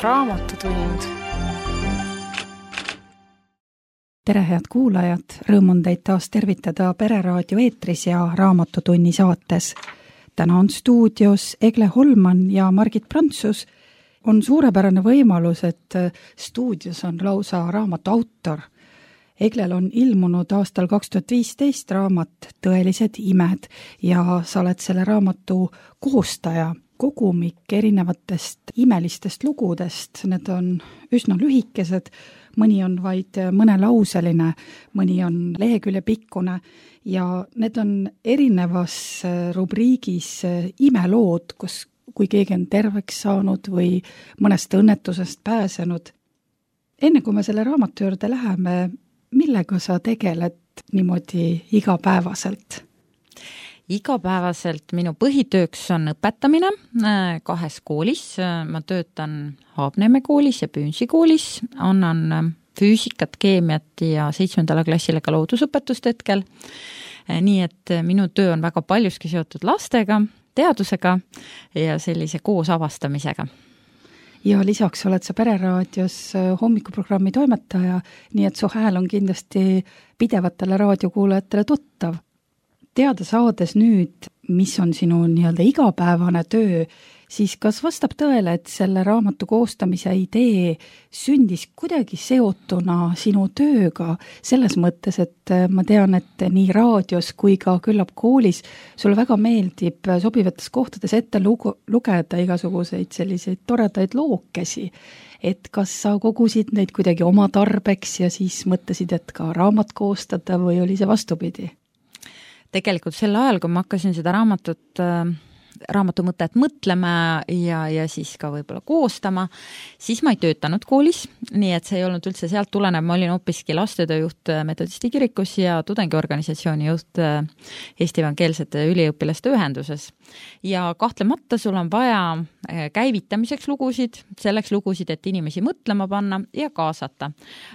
Raamatutund. Tere, head kuulajad! Rõõm on teid taas tervitada Pereraadio eetris ja Raamatutunni saates. Täna on stuudios Egle Holman ja Margit Prantsus. On suurepärane võimalus, et stuudios on lausa raamatu autor. Eglel on ilmunud aastal 2015 raamat Tõelised imed ja sa oled selle raamatu koostaja. Kogumik erinevatest imelistest lugudest, need on üsna lühikesed, mõni on vaid mõnelauseline, mõni on lehekülje pikkune ja need on erinevas rubriigis imelood, kui keegi on terveks saanud või mõnest õnnetusest pääsenud. Enne kui me selle raamatu juurde läheme, millega sa tegeled niimoodi igapäevaselt? Igapäevaselt minu põhitööks on õpetamine 2 koolis. Ma töötan Haabneeme koolis ja Püünsi koolis. Annan füüsikat, keemiat ja 7. klassile ka loodusõpetust hetkel. Nii et minu töö on väga paljuski seotud lastega, teadusega ja sellise koos avastamisega. Ja lisaks oled sa Pereraadios hommikuprogrammi toimetaja, nii et su hääl on kindlasti pidevatele raadiokuulajatele tuttav. Teada saades nüüd, mis on sinu nii-öelda igapäevane töö, siis kas vastab tõele, et selle raamatu koostamise idee sündis kuidagi seotuna sinu tööga selles mõttes, et ma tean, et nii raadios kui ka küllap koolis sulle väga meeldib sobivates kohtades ette lugeda igasuguseid selliseid toredaid lookesi. Et kas sa kogusid neid kuidagi oma tarbeks ja siis mõtlesid, et ka raamat koostada või oli see vastupidi? Tegelikult sel ajal, kui ma hakkasin seda raamatu mõtet mõtlema ja siis ka võib-olla koostama, siis ma ei töötanud koolis, nii et see ei olnud üldse sealt tulenev, ma olin hoopiski lastetööjuht Metodisti kirikus ja tudengiorganisatsiooni juht Eesti Evangeelsete üliõpilaste ühenduses. Ja kahtlemata sul on vaja käivitamiseks lugusid, selleks lugusid, et inimesi mõtlema panna ja kaasata.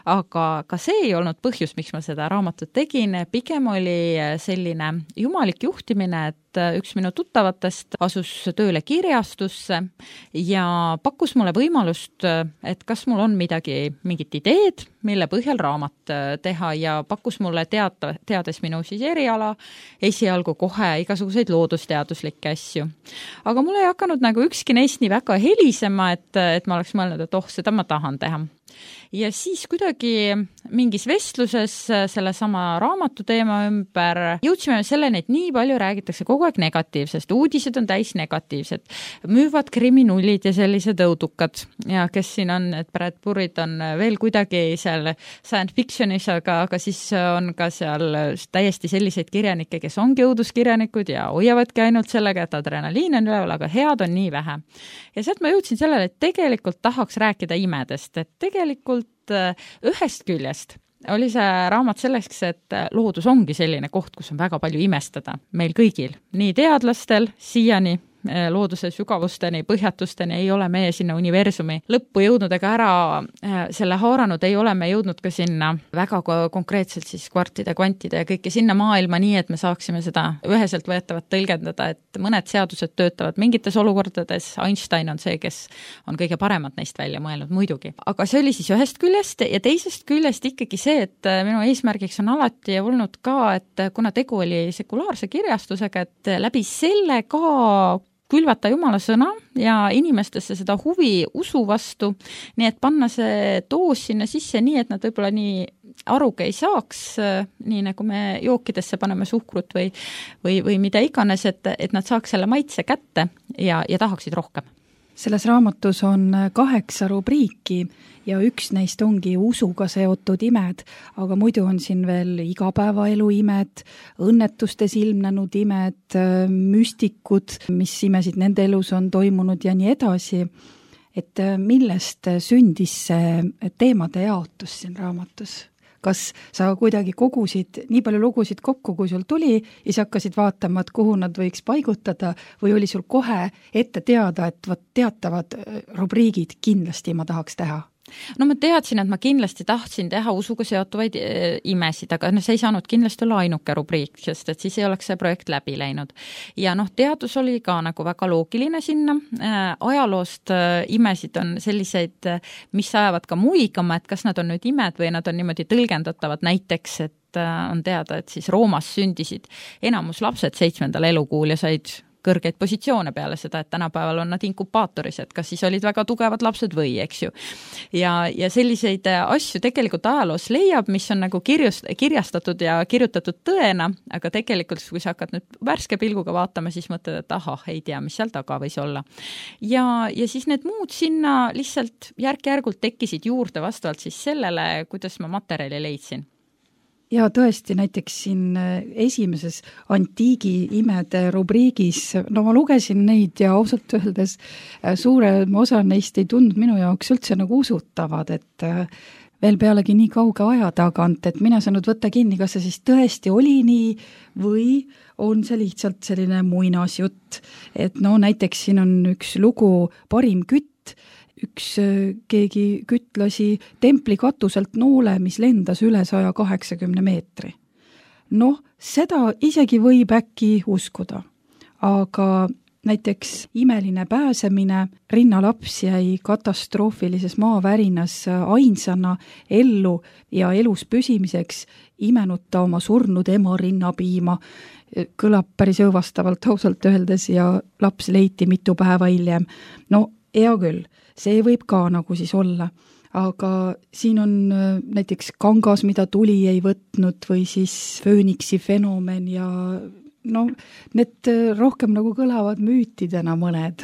Aga ka see ei olnud põhjus, miks ma seda raamatut tegin, pigem oli selline jumalik juhtimine, et üks minu tuttavatest asus tööle kirjastusse ja pakkus mulle võimalust, et kas mul on mingit ideed, mille põhjal raamat teha ja pakkus mulle teades minu siis eriala esialgu kohe igasuguseid loodusteaduslikke asju. Aga mul ei hakanud ükski neist nii väga helisema, et ma oleks mõelnud, et seda ma tahan teha. Ja siis kuidagi mingis vestluses selle sama raamatu teema ümber jõudsime selleni, et nii palju räägitakse kogu aeg negatiivsest. Uudised on täis negatiivsed. Müüvad kriminullid ja sellised õudukad. Ja kes siin on, et Brad Pitt on veel kuidagi seal science fictionis, aga siis on ka seal täiesti selliseid kirjanikke, kes ongi õuduskirjanikud ja hoiavadki ainult sellega, et adrenaliin on üleval, aga head on nii vähe. Ja sealt ma jõudsin sellele, et tegelikult tahaks rääkida imedest, et tegelikult ühest küljest oli see raamat selleks, et loodus ongi selline koht, kus on väga palju imestada meil kõigil, nii teadlastel siiani looduse sügavusteni, põhjatusteni ei ole meie sinna universumi lõppu jõudnud ega ära selle haaranud, ei ole me jõudnud ka sinna väga konkreetselt siis kvartide, kvantide ja kõike sinna maailma nii, et me saaksime seda üheselt võetavat tõlgendada, et mõned seadused töötavad mingites olukordades, Einstein on see, kes on kõige paremad neist välja mõelnud muidugi. Aga see oli siis ühest küljest ja teisest küljest ikkagi see, et minu eesmärgiks on alati olnud ka, et kuna tegu oli sekulaarse kirjastusega, et läbi selle ka külvata Jumala sõna ja inimestesse seda huvi usu vastu, nii et panna see doos sinna sisse nii, et nad võib-olla nii aruga ei saaks, nii nagu me jookidesse paneme suhkrut või mida iganes, et nad saaks selle maitse kätte ja tahaksid rohkem. Selles raamatus on 8 rubriiki ja üks neist ongi usuga seotud imed, aga muidu on siin veel igapäevaelu imed, õnnetustes ilmnenud imed, müstikud, mis imesid nende elus on toimunud ja nii edasi. Et millest sündis see teemade jaotus siin raamatus? Kas sa kuidagi kogusid nii palju lugusid kokku, kui sul tuli ja siis hakkasid vaatama, et kuhu nad võiks paigutada või oli sul kohe ette teada, et teatavad rubriigid kindlasti ma tahaks teha? No ma teadsin, et ma kindlasti tahtsin teha usuga seotuvaid imesid, aga see ei saanud kindlasti olla ainuke rubriik, sest et siis ei oleks see projekt läbi läinud. Ja teadus oli ka nagu väga loogiline sinna. Ajaloost imesid on selliseid, mis ajavad ka muigama, et kas nad on nüüd imed või nad on niimoodi tõlgendatavad, näiteks, et on teada, et siis Roomas sündisid enamus lapsed 7. elukuul ja said kõrgeid positsioone peale seda, et tänapäeval on nad inkubaatoris, et kas siis olid väga tugevad lapsed või, eks ju. Ja selliseid asju tegelikult ajaloos leiab, mis on nagu kirjastatud ja kirjutatud tõena, aga tegelikult, kui sa hakkad nüüd värske pilguga vaatama, siis mõtled, et ahah, ei tea, mis seal taga võis olla. Ja siis need muud sinna lihtsalt järk-järgult tekkisid juurde vastavalt siis sellele, kuidas ma materjali leidsin. Ja tõesti, näiteks siin esimeses antiigi imede rubriigis, ma lugesin neid ja ausalt öeldes suurem osa neist ei tundnud minu jaoks üldse nagu usutavad, et veel pealegi nii kauge aja tagant, et mina saanud võtta kinni, kas see siis tõesti oli nii või on see lihtsalt selline muinasjutt. Et näiteks siin on üks lugu Parim kütt, üks keegi kütlasi templi katuselt noole, mis lendas üle 180 meetri. Seda isegi võib äkki uskuda, aga näiteks imeline pääsemine, rinnalaps jäi katastroofilises maavärinas ainsana ellu ja elus püsimiseks imenud ta oma surnud ema rinnapiima. Kõlab päris õõvastavalt ausalt öeldes ja laps leiti mitu päeva hiljem. Hea küll, see võib ka nagu siis olla, aga siin on näiteks kangas, mida tuli ei võtnud või siis fööniksi fenomen ja need rohkem nagu kõlavad müütidena mõned.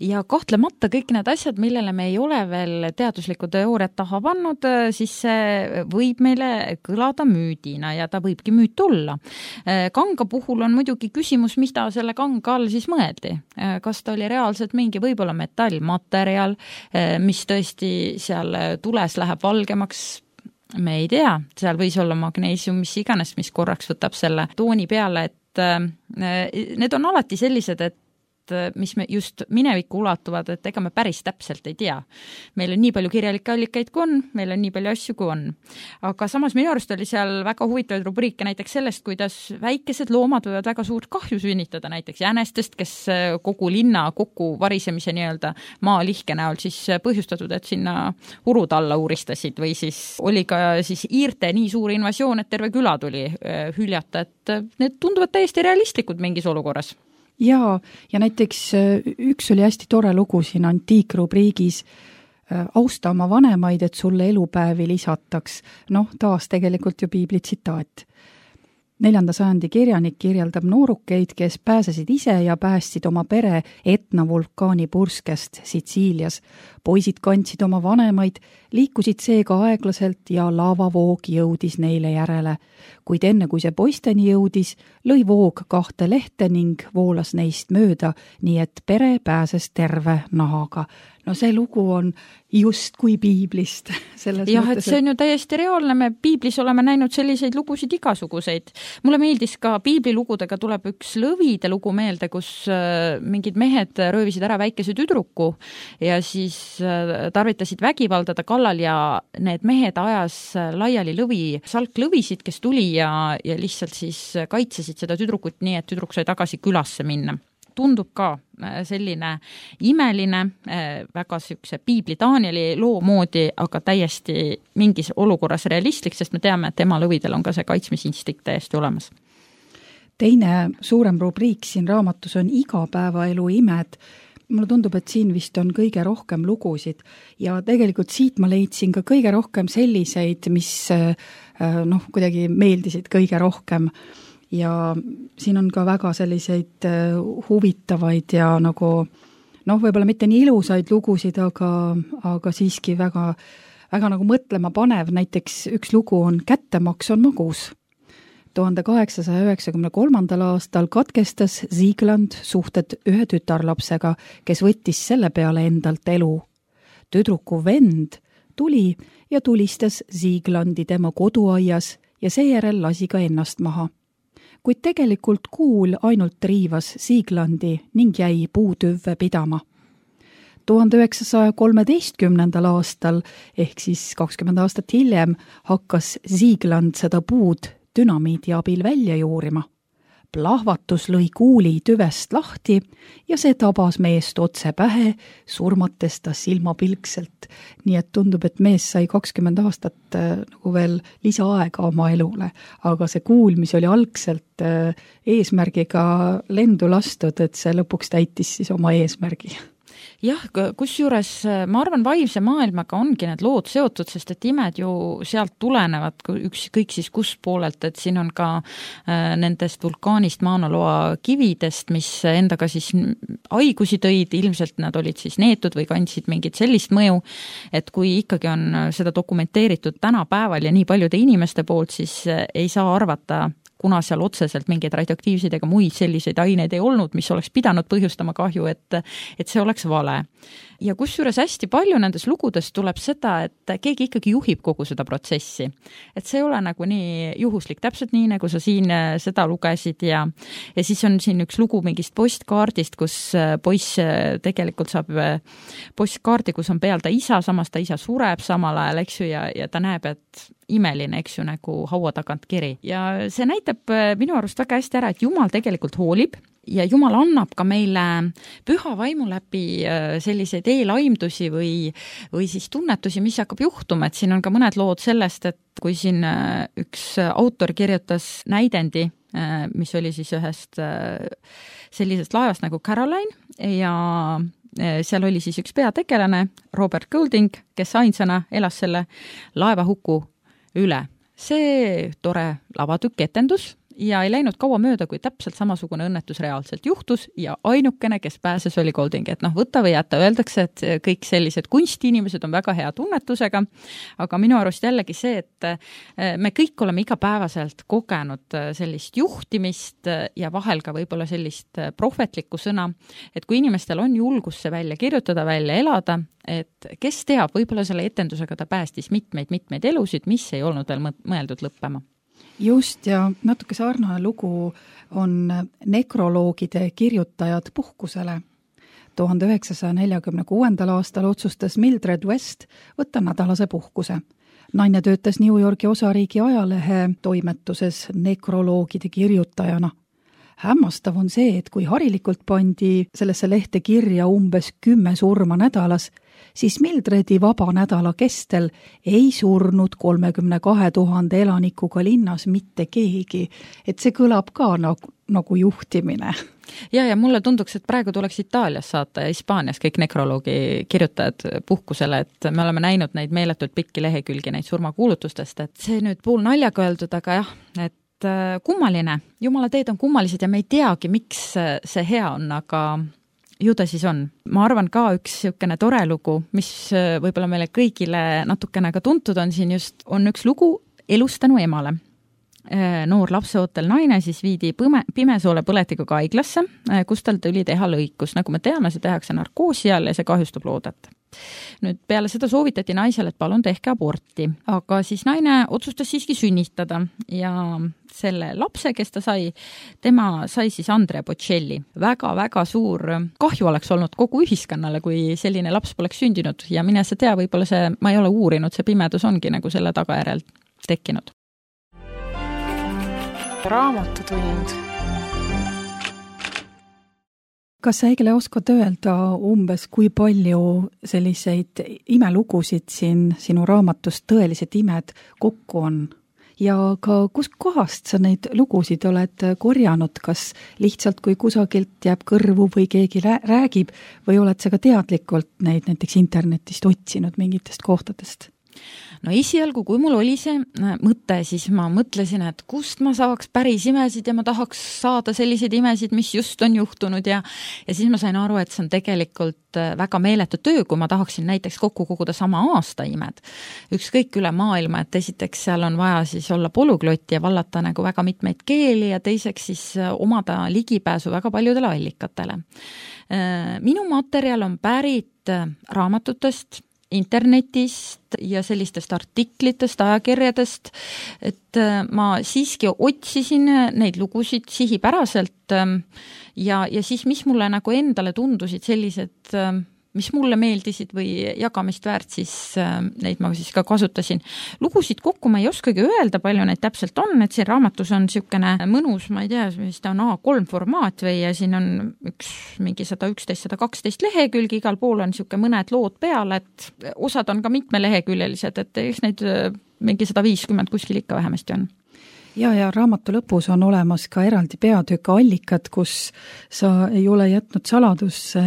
Ja kahtlemata kõik need asjad, millele me ei ole veel teaduslikku teooriat taha pannud, siis see võib meile kõlada müüdina ja ta võibki müüt olla. Kanga puhul on muidugi küsimus, mida selle kanga all siis mõeldi. Kas ta oli reaalselt mingi võib-olla metallmaterjal, mis tõesti seal tules läheb valgemaks, me ei tea, seal võis olla magneesium, mis iganes, mis korraks võtab selle tooni peale, et need on alati sellised, et mis me just minevikku ulatuvad, et ega me päris täpselt ei tea. Meil on nii palju kirjalikke allikaid kui on, meil on nii palju asju kui on. Aga samas minu arust oli seal väga huvitavaid rubriike näiteks sellest, kuidas väikesed loomad võivad väga suurt kahju sünnitada, näiteks jänestest, kes kogu linna kokku varisemise nii-öelda maalihke näol siis põhjustatud, et sinna urud alla uuristasid või siis oli ka siis iirte nii suur invasioon, et terve küla tuli hüljata, et need tunduvad täiesti realistlikud mingis olukorras. Ja näiteks üks oli hästi tore lugu siin antiikrubriigis, austa oma vanemaid, et sulle elupäevi lisataks. Taas tegelikult ju piibli tsitaat. 4. sajandi kirjanik kirjeldab noorukeid, kes pääsesid ise ja päästsid oma pere Etna vulkaani purskest Sitsiilias. Poisid kandsid oma vanemaid, liikusid seega aeglaselt ja laavavoog jõudis neile järele. Kuid enne kui see poisteni jõudis, lõi voog 2 lehte ning voolas neist mööda, nii et pere pääses terve nahaga. See lugu on just kui piiblist. Jah, et see on ju täiesti reaalne, me piiblis oleme näinud selliseid lugusid igasuguseid. Mulle meeldis ka piiblilugudega tuleb üks Lõvide lugu meelde, kus mingid mehed röövisid ära väikese tüdruku ja siis tarvitasid vägivaldada kallal ja need mehed ajas laiali salklõvisid, kes tuli ja lihtsalt siis kaitsesid seda tüdrukut nii, et tüdruk sai tagasi külasse minna. Tundub ka selline imeline, väga sükse piibli Danieli loo moodi, aga täiesti mingis olukorras realistlik, sest me teame, et tema lõvidel on ka see kaitsmisinstinkt täiesti olemas. Teine suurem rubriik siin raamatus on igapäevaelu imed. Mulle tundub, et siin vist on kõige rohkem lugusid ja tegelikult siit ma leidsin ka kõige rohkem selliseid, mis kuidagi meeldisid kõige rohkem. Ja siin on ka väga selliseid huvitavaid ja nagu, võib-olla mitte nii ilusaid lugusid, aga siiski väga, väga nagu mõtlema panev. Näiteks üks lugu on Kättemaks on magus. 1893. aastal katkestas Siegland suhted ühe tütarlapsega, kes võttis selle peale endalt elu. Tüdruku vend tuli ja tulistas Sieglandi tema koduaias ja seejärel lasi ka ennast maha. Kuid tegelikult kuul ainult riivas Sieglandi ning jäi puutüvve pidama. 1913. aastal ehk siis 20 aastat hiljem hakkas Siegland seda puud dünamiidi abil välja juurima. Plahvatus lõi kuuli tüvest lahti ja see tabas meest otse pähe, surmates ta silmapilkselt. Nii et tundub, et mees sai 20 aastat nagu veel lisaaega oma elule, aga see kuul, mis oli algselt eesmärgiga lendu lastud, et see lõpuks täitis siis oma eesmärgi. Jah, kusjuures ma arvan, vaimse maailmaga ongi need lood seotud, sest et imed ju sealt tulenevad kõik siis kus poolelt, et siin on ka nendest vulkaanist Mauna Loa kividest, mis endaga siis haigusi tõid, ilmselt nad olid siis neetud või kandsid mingit sellist mõju, et kui ikkagi on seda dokumenteeritud tänapäeval ja nii paljude inimeste poolt, siis ei saa arvata, kuna seal otseselt mingeid radioaktiivseid ega muid selliseid aineid ei olnud, mis oleks pidanud põhjustama kahju, et see oleks vale. Ja kusjuures hästi palju nendes lugudes tuleb seda, et keegi ikkagi juhib kogu seda protsessi. Et see ei ole nagu nii juhuslik, täpselt nii, nagu sa siin seda lugesid ja siis on siin üks lugu mingist postkaardist, kus poiss tegelikult saab postkaardi, kus on peal ta isa, samas ta isa sureb samal ajal, eks ju, ja ta näeb, et imeline, eks ju, nagu haua tagant kiri. Ja see näitab minu arust väga hästi ära, et Jumal tegelikult hoolib ja Jumal annab ka meile püha vaimu läbi selliseid eelaimdusi või siis tunnetusi, mis hakkab juhtuma, et siin on ka mõned lood sellest, et kui siin üks autor kirjutas näidendi, mis oli siis ühest sellisest laevast nagu Caroline ja seal oli siis üks peategelane, Robert Goulding, kes ainsana elas selle laevahuku üle. See tore lavatükk etendus ja ei läinud kaua mööda, kui täpselt samasugune õnnetus reaalselt juhtus ja ainukene, kes pääses, oli Golding. Et võta või jätta, öeldakse, et kõik sellised kunstiinimesed on väga hea tunnetusega, aga minu arust jällegi see, et me kõik oleme igapäevaselt kogenud sellist juhtimist ja vahel ka võib-olla sellist prohvetlikku sõna, et kui inimestel on julgus see välja kirjutada, välja elada, et kes teab, võib-olla selle etendusega ta päästis mitmeid elusid, mis ei olnud veel mõeldud lõppema. Just, ja natuke sarnane lugu on nekroloogide kirjutajad puhkusele. 1946. aastal otsustas Mildred West võtta nädalase puhkuse. Naine töötas New Yorki osariigi ajalehe toimetuses nekroloogide kirjutajana. Hämmastav on see, et kui harilikult pandi sellesse lehte kirja umbes 10 surma nädalas, siis Mildredi vaba nädala kestel ei surnud 32 000 elanikuga linnas mitte keegi. Et see kõlab ka nagu juhtimine. Ja mulle tunduks, et praegu tuleks Itaalias saata ja Hispaanias kõik nekroloogi kirjutajad puhkusele, et me oleme näinud neid meeletult pikki lehekülgi neid surmakuulutustest, et see nüüd pool naljaga öeldud, aga jah, et kummaline. Jumala teed on kummalised ja me ei teagi, miks see hea on, aga ju ta siis on. Ma arvan ka üks niisugune tore lugu, mis võib-olla meile kõigile natukene ka tuntud on siin just, on üks lugu elustanu emale. Noor lapseootel naine siis viidi pimesoole põletikuga haiglasse, kus tal tuli teha lõikus. Nagu me teame, see tehakse narkoosi all ja see kahjustab loodet. Nüüd peale seda soovitati naisele, et palun tehke aborti, aga siis naine otsustas siiski sünnitada ja selle lapse, kes ta sai, tema sai siis Andrea Bocelli. Väga-väga suur kahju oleks olnud kogu ühiskonnale, kui selline laps poleks sündinud ja mine sa tea, võib-olla see, ma ei ole uurinud, see pimedus ongi nagu selle tagajärjel tekkinud. Raamatutund. Kas sa, Egle, oskad öelda umbes, kui palju selliseid imelugusid siin sinu raamatust Tõelised imed kokku on? Ja ka kust kohast sa neid lugusid oled korjanud, kas lihtsalt kui kusagilt jääb kõrvu või keegi räägib või oled sa ka teadlikult neid näiteks internetist otsinud mingitest kohtadest? No esialgu, kui mul oli see mõte, siis ma mõtlesin, et kust ma saaks päris imesid ja ma tahaks saada selliseid imesid, mis just on juhtunud ja siis ma sain aru, et see on tegelikult väga meeletu töö, kui ma tahaksin näiteks kokku koguda sama aasta imed. Ükskõik üle maailma, et esiteks seal on vaja siis olla polüglott ja vallata nagu väga mitmeid keeli ja teiseks siis omada ligipääsu väga paljudele allikatele. Minu materjal on pärit raamatutest, internetist ja sellistest artiklitest, ajakirjadest, et ma siiski otsisin neid lugusid sihipäraselt ja siis, mis mulle nagu endale tundusid sellised mis mulle meeldisid või jagamist väärt, siis neid ma siis ka kasutasin. Lugusid kokku ma ei oskagi öelda, palju neid täpselt on, et siin raamatus on niisugune mõnus, ma ei tea, mis ta on A3 formaat või ja siin on mingi 111-112 lehekülgi, igal pool on niisugune mõned lood peal, et osad on ka mitmeleheküljelised, et eks neid mingi 150 kuskil ikka vähemasti on. Ja raamatu lõpus on olemas ka eraldi peatükk allikad, kus sa ei ole jätnud saladusse,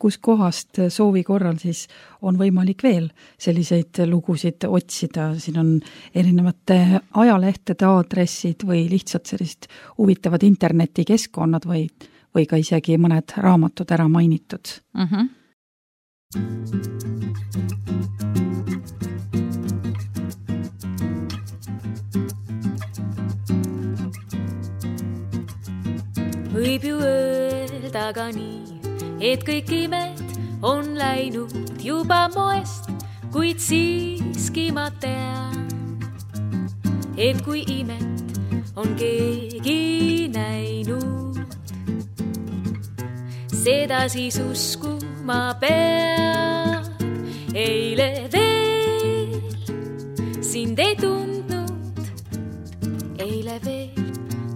kus kohast soovi korral siis on võimalik veel selliseid lugusid otsida. Siin on erinevate ajalehtede aadressid või lihtsalt sellist huvitavad internetikeskkonnad või ka isegi mõned raamatud ära mainitud. Võib ju öelda ka nii, et kõik imed on läinud juba moest, kuid siiski ma tean, et kui imet on keegi näinud, seda siis uskuma peab. Eile veel sind ei tundnud, eile veel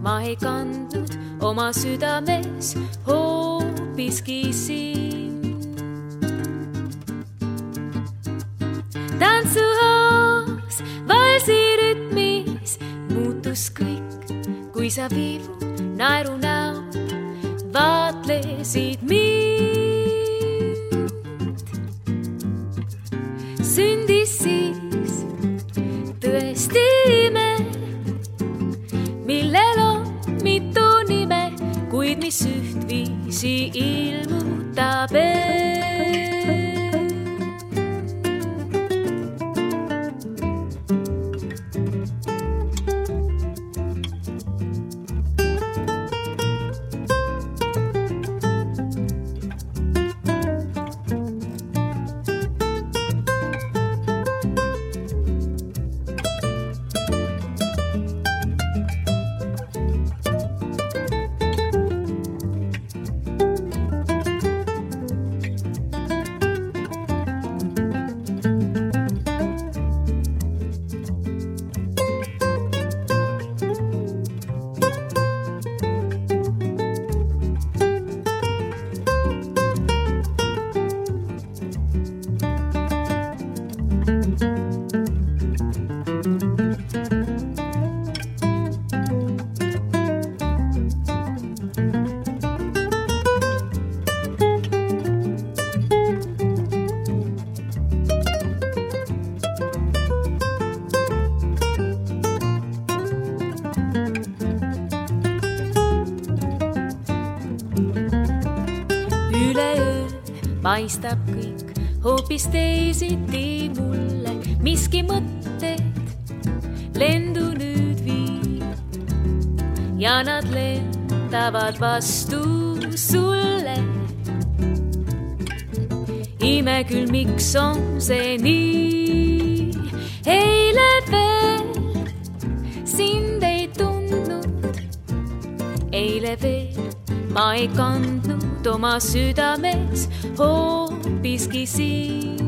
ma ei kandnud oma südames hoopiski sind. Tantsuhoos, valsi rütmis muutus kõik, kui sa viivu naeru näol vaatlesid mind. Sündis siis tõesti ime, millel on mitu nime, kuid mis ühtviisi ilmutab paistab kõik hoopis teisiti mulle, miski mõtted lendu nüüd viib ja nad lendavad vastu sulle. Ime küll, miks on see nii, eile veel sind ei tundnud, eile veel ma ei kandnud oma südames hoopiski sind.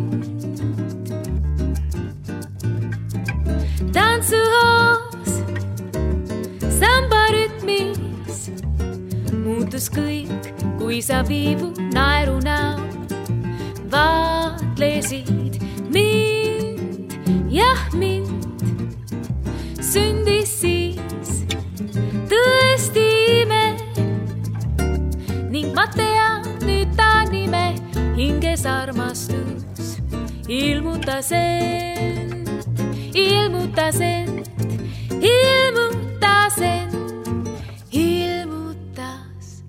Tantsuhoos, samba rütmis muutus kõik, kui sa viivu naeru näol vaatlesid mind, jah mind. Sündis siis tõesti ime ning ma tean nüüd ta nime, hinges armastus ilmutas end, ilmutas end, ilmutas end, ilmutas,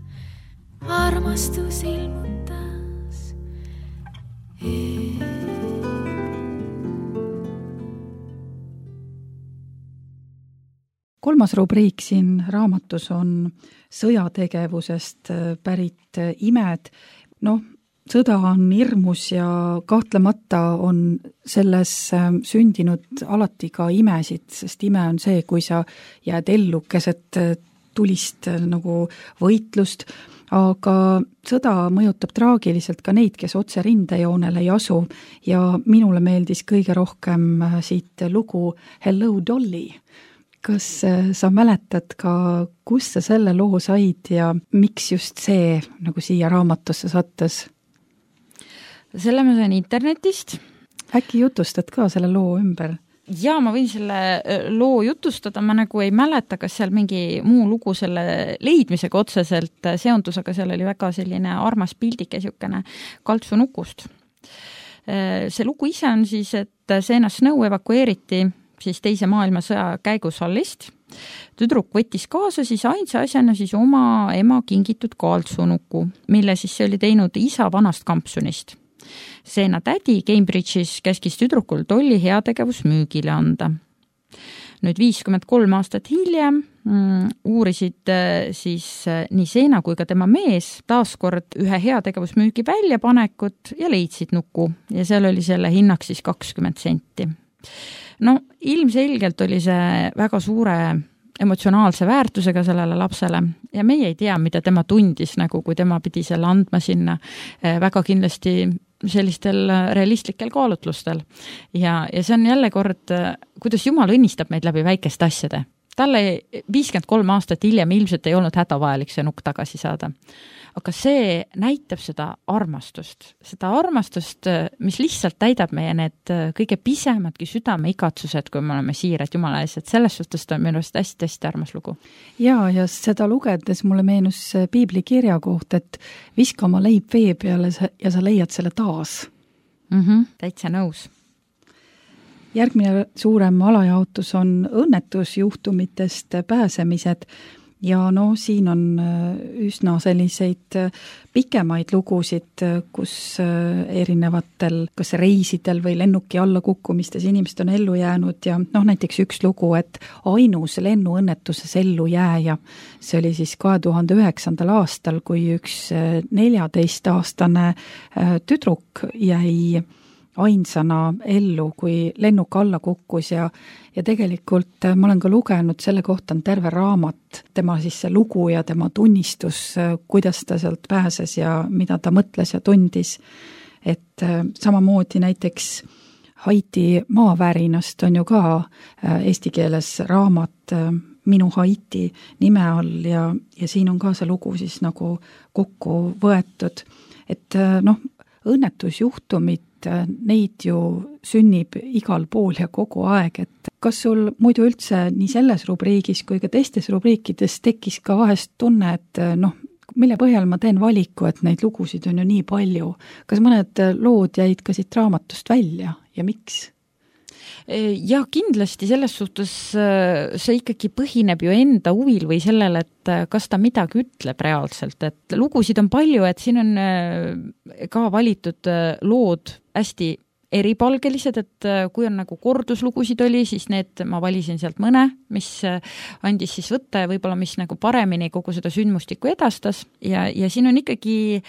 armastus ilmutas end. Kolmas rubriik siin raamatus on sõjategevusest pärit imed. Sõda on hirmus ja kahtlemata on selles sündinud alati ka imesid, sest ime on see, kui sa jääd ellu keset tulist nagu võitlust, aga sõda mõjutab traagiliselt ka neid, kes otse rindejoonel ei asu ja minule meeldis kõige rohkem siit lugu Hello Dolly. Kas sa mäletad ka, kus sa selle loo said ja miks just see nagu siia raamatusse sattus? Selle ma sain internetist. Äkki jutustad ka selle loo ümber? Jaa, ma võin selle loo jutustada, ma nagu ei mäleta, kas seal mingi muu lugu selle leidmisega otseselt seondus, aga seal oli väga selline armas pildike niisugune kaltsunukust. See lugu ise on siis, et Sienna Snow evakueeriti siis teise maailmasõja käigus Hallist. Tüdruk võttis kaasa siis ainsa asjana siis oma ema kingitud kaltsunuku, mille siis see oli teinud isa vanast kampsunist. Sienna tädi Cambridge'is käskis tüdrukul Dolly heategevus müügile anda. Nüüd 53 aastat hiljem uurisid siis nii Sienna kui ka tema mees taaskord ühe heategevusmüügi väljapanekut ja leidsid nuku ja seal oli selle hinnaks siis 20 senti. No ilmselgelt oli see väga suure emotsionaalse väärtusega sellele lapsele ja meie ei tea, mida tema tundis, nagu kui tema pidi selle andma sinna väga kindlasti sellistel realistlikel kaalutlustel. Ja see on jälle kord, kuidas Jumal õnnistab meid läbi väikeste asjade. Talle 53 aastat hiljem ilmselt ei olnud hädavajalik see nukk tagasi saada. Aga see näitab seda armastust, mis lihtsalt täidab meie need kõige pisemadki südame igatsused, kui me oleme siirad Jumala ees, et selles suhtes on minu arust hästi armas lugu. Ja seda lugedes mulle meenus piibli kirja koht, et viska oma leib vee peale ja sa leiad selle taas. Täitsa nõus. Järgmine suurem alajaotus on õnnetusjuhtumitest pääsemised. Ja siin on üsna selliseid pikemaid lugusid, kus erinevatel kas reisidel või lennuki allakukkumistes inimesed on ellu jäänud ja näiteks üks lugu, et ainus lennuõnnetuses ellu jääja. See oli siis 2009. aastal, kui üks 14-aastane tüdruk jäi ainsana ellu, kui lennuk alla kukkus ja tegelikult ma olen ka lugenud, selle kohta on terve raamat, tema siis see lugu ja tema tunnistus, kuidas ta sealt pääses ja mida ta mõtles ja tundis. Et samamoodi näiteks Haiti maavärinast on ju ka eesti keeles raamat Minu Haiti nime all ja siin on ka see lugu siis nagu kokku võetud. Et õnnetusjuhtumid, neid ju sünnib igal pool ja kogu aeg, et kas sul muidu üldse nii selles rubriigis kui ka teistes rubriikides tekkis ka vahest tunne, et mille põhjal ma teen valiku, et neid lugusid on ju nii palju. Kas mõned lood jäid ka siit raamatust välja ja miks? Ja kindlasti selles suhtes see ikkagi põhineb ju enda huvil või sellele, et kas ta midagi ütleb reaalselt, et lugusid on palju, et siin on ka valitud lood hästi eripalgelised, et kui on nagu korduslugusid oli, siis need ma valisin sealt mõne, mis andis siis võtta ja võib-olla mis nagu paremini kogu seda sündmustikku edastas ja siin on ikkagi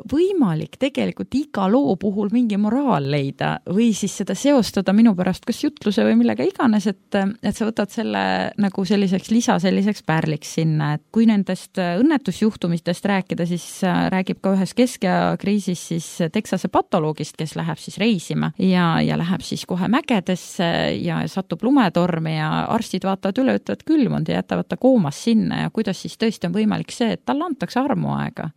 võimalik tegelikult iga loo puhul mingi moraal leida või siis seda seostada minu pärast kas jutluse või millega iganes, et sa võtad selle nagu selliseks pärliks sinna, et kui nendest õnnetusjuhtumistest rääkida, siis räägib ka ühes keskajakriisis siis Texase patoloogist, kes läheb siis reisima ja läheb siis kohe mägedesse ja satub lumetormi ja arstid vaatavad üle, ütlevad külmunud ja jätavad ta koomas sinna ja kuidas siis tõesti on võimalik see, et talle antakse armuaega.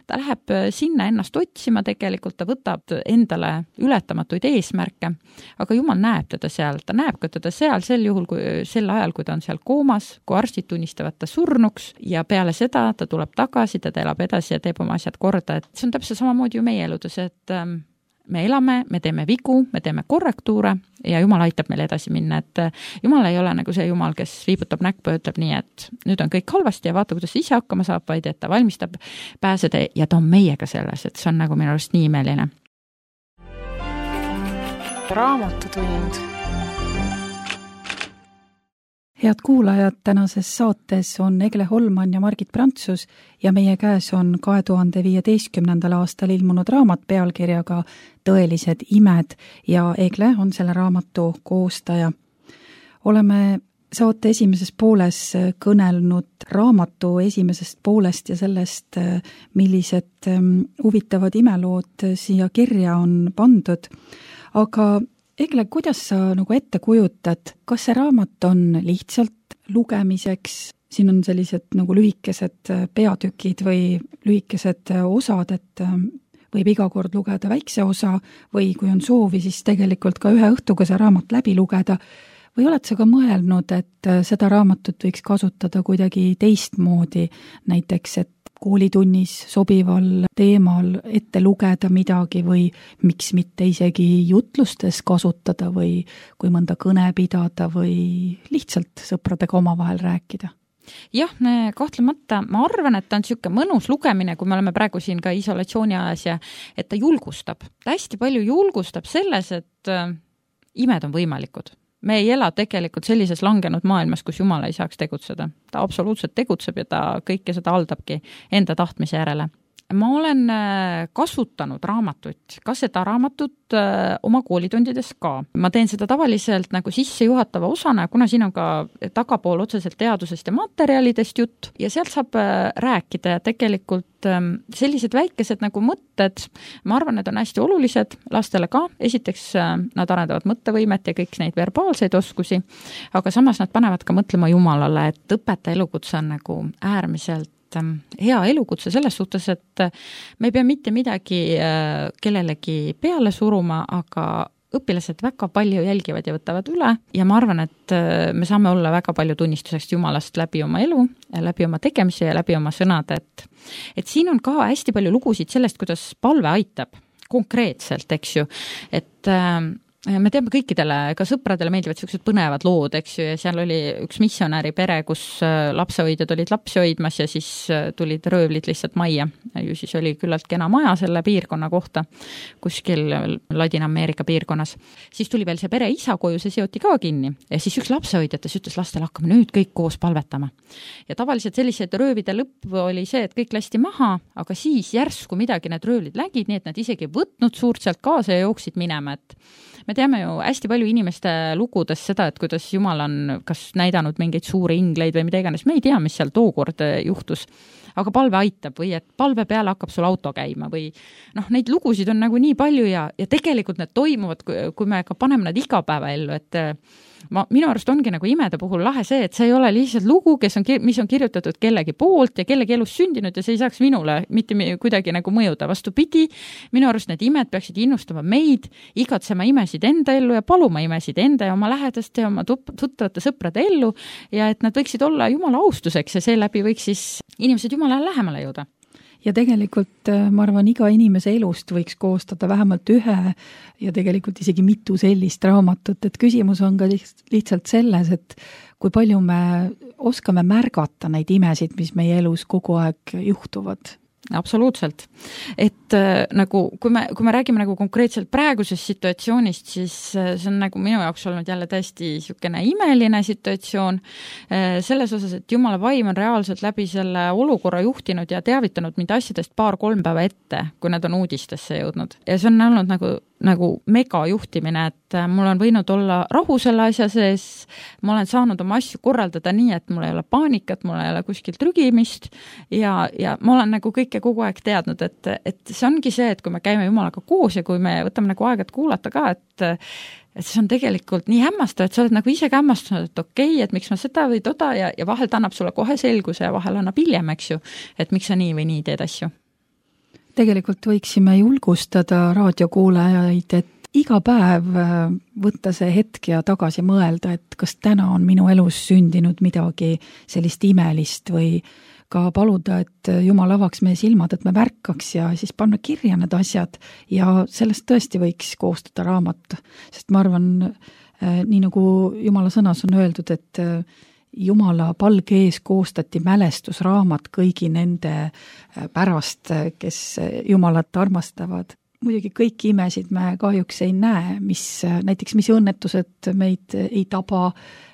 Ta läheb sinna ennast otsima, tegelikult ta võtab endale ületamatuid eesmärke, aga Jumal näeb teda seal, ta näeb ka teda seal sel ajal, kui ta on seal koomas, kui arstid tunnistavad ta surnuks ja peale seda ta tuleb tagasi, ta elab edasi ja teeb oma asjad korda, et see on täpselt samamoodi ju meie eludes, et me elame, me teeme vigu, me teeme korrektuure ja Jumal aitab meil edasi minna, et Jumal ei ole nagu see Jumal, kes viibutab näkku ja ütleb nii, et nüüd on kõik halvasti ja vaata, kuidas ise hakkama saab, vaid et ta valmistab pääseda ja ta on meiega selles, et see on nagu minu arust nii imeline. Raamatutund. Head kuulajad, tänases saates on Egle Holman ja Margit Prantsus ja meie käes on 2015. aastal ilmunud raamat pealkirjaga Tõelised imed ja Egle on selle raamatu koostaja. Oleme saate esimeses pooles kõnelnud raamatu esimesest poolest ja sellest, millised huvitavad imelood siia kirja on pandud. Aga Egle, kuidas sa nagu ette kujutad, kas see raamat on lihtsalt lugemiseks, siin on sellised nagu lühikesed peatükid või lühikesed osad, et võib iga kord lugeda väikse osa või kui on soovi, siis tegelikult ka ühe õhtuga see raamat läbi lugeda, või oled sa ka mõelnud, et seda raamatut võiks kasutada kuidagi teistmoodi, näiteks, et koolitunnis sobival teemal ette lugeda midagi või miks mitte isegi jutlustes kasutada või kui mõnda kõne pidada või lihtsalt sõpradega omavahel rääkida? Jah, kahtlemata ma arvan, et ta on niisugune mõnus lugemine, kui me oleme praegu siin ka isolatsiooni ajas ja et ta julgustab. Ta hästi palju julgustab selles, et imed on võimalikud. Me ei ela tegelikult sellises langenud maailmas, kus Jumal ei saaks tegutseda. Ta absoluutselt tegutseb ja ta kõike seda haldabki enda tahtmise järele. Ma olen kasutanud raamatut, ka seda raamatut oma koolitundides ka. Ma teen seda tavaliselt nagu sissejuhatava osana, kuna siin on ka tagapool otseselt teadusest ja materjalidest jutt ja sealt saab rääkida ja tegelikult sellised väikesed nagu mõtted, ma arvan, need on hästi olulised lastele ka. Esiteks nad arendavad mõttevõimet ja kõik neid verbaalseid oskusi, aga samas nad panevad ka mõtlema Jumalale, et õpetaja elukutse on nagu äärmiselt hea elukutse selles suhtes, et me ei pea mitte midagi kellelegi peale suruma, aga õpilased väga palju jälgivad ja võtavad üle ja ma arvan, et me saame olla väga palju tunnistuseks Jumalast läbi oma elu, läbi oma tegemise ja läbi oma sõnade, et siin on ka hästi palju lugusid sellest, kuidas palve aitab konkreetselt, eks ju, et me teame kõikidele, ka sõpradele meeldivad sellised põnevad lood, eks ju, ja seal oli üks missionäri pere, kus lapsehoidjad olid lapsi hoidmas ja siis tulid röövlid lihtsalt majja. Ju siis oli küllalt kena maja selle piirkonna kohta, kuskil Ladina-Ameerika piirkonnas. Siis tuli veel see pere isa koju, see seoti ka kinni ja siis üks lapsehoidjates ütles lastele, hakkame nüüd kõik koos palvetama. Ja tavaliselt sellised röövide lõpp oli see, et kõik lasti maha, aga siis järsku midagi need röövlid lägid, nii et nad isegi võtnud suurt sealt kaasa ja jooksid minema, et me teame ju hästi palju inimeste lugudes seda, et kuidas Jumal on kas näidanud mingeid suuri ingleid või mida iganes, me ei tea, mis seal tookord juhtus, aga palve aitab või et palve peale hakkab sul auto käima või neid lugusid on nagu nii palju ja tegelikult need toimuvad, kui me ka paneme nad igapäevaellu, et minu arust ongi nagu imede puhul lahe see, et see ei ole lihtsalt lugu, mis on kirjutatud kellegi poolt ja kellegi elus sündinud ja see ei saaks minule mitte kuidagi nagu mõjuda. Vastupidi, minu arust need imed peaksid innustama meid, igatsema imesid enda ellu ja paluma imesid enda ja oma lähedaste ja oma tuttavate sõprade ellu ja et nad võiksid olla Jumala austuseks ja seeläbi võiks siis inimesed Jumalale lähemale jõuda. Ja tegelikult ma arvan, iga inimese elust võiks koostada vähemalt ühe ja tegelikult isegi mitu sellist raamatut, et küsimus on ka lihtsalt selles, et kui palju me oskame märgata neid imesid, mis meie elus kogu aeg juhtuvad. Absoluutselt. Et nagu, kui me räägime nagu konkreetselt praegusest situatsioonist, siis see on nagu minu jaoks olnud jälle täiesti niisugune imeline situatsioon selles osas, et Jumala vaim on reaalselt läbi selle olukorra juhtinud ja teavitanud mind asjadest 2-3 päeva ette, kui nad on uudistesse jõudnud. Ja see on olnud nagu mega juhtimine, et mul on võinud olla rahu selle asja sees, ma olen saanud oma asju korraldada nii, et mul ei ole paanikat, mul ei ole kuskilt trügimist ja ma olen nagu kõike kogu aeg teadnud, et see ongi see, et kui me käime Jumalaga koos ja kui me võtame nagu aega kuulata ka, et see on tegelikult nii hämmastav, et sa oled nagu ise ka hämmastunud, et okei, et miks ma seda või toda ja vahel ta annab sulle kohe selguse ja vahel annab hiljem, eks ju, et miks sa nii või nii teed asju. Tegelikult võiksime julgustada raadiokuulajaid, et iga päev võtta see hetk ja tagasi mõelda, et kas täna on minu elus sündinud midagi sellist imelist või ka paluda, et Jumal avaks meie silmad, et me märkaks ja siis panna kirja need asjad ja sellest tõesti võiks koostada raamat, sest ma arvan, nii nagu Jumala sõnas on öeldud, et Jumala palge ees koostati mälestusraamat kõigi nende pärast, kes Jumalat armastavad. Muidugi kõiki imesid me kahjuks ei näe, mis õnnetused meid ei taba,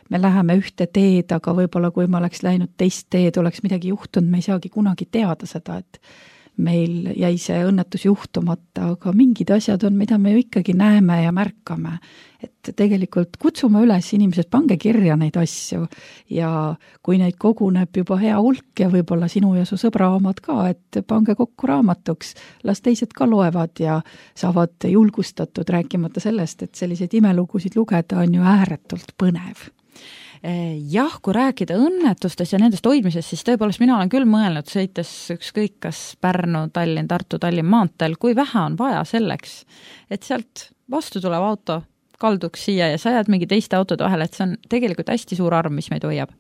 me läheme ühte teed, aga võib-olla kui me oleks läinud teist teed, oleks midagi juhtunud, me ei saagi kunagi teada seda, et meil jäi see õnnetus juhtumata, aga mingid asjad on, mida me ju ikkagi näeme ja märkame. Et tegelikult kutsume üles inimesed, pange kirja neid asju ja kui neid koguneb juba hea hulk ja võib-olla sinu ja su sõbra omad ka, et pange kokku raamatuks, las teised ka loevad ja saavad julgustatud, rääkimata sellest, et selliseid imelugusid lugeda on ju ääretult põnev. Jah, kui rääkida õnnetustest ja nendest hoidmisest, siis tõepoolest mina olen küll mõelnud, sõites ükskõik kas Pärnu, Tallinn, Tartu, Tallinn maanteel, kui vähe on vaja selleks, et sealt vastu tulev auto kalduks siia ja sa jääd mingi teiste autode vahele, et see on tegelikult hästi suur arv, mis meid hoiab.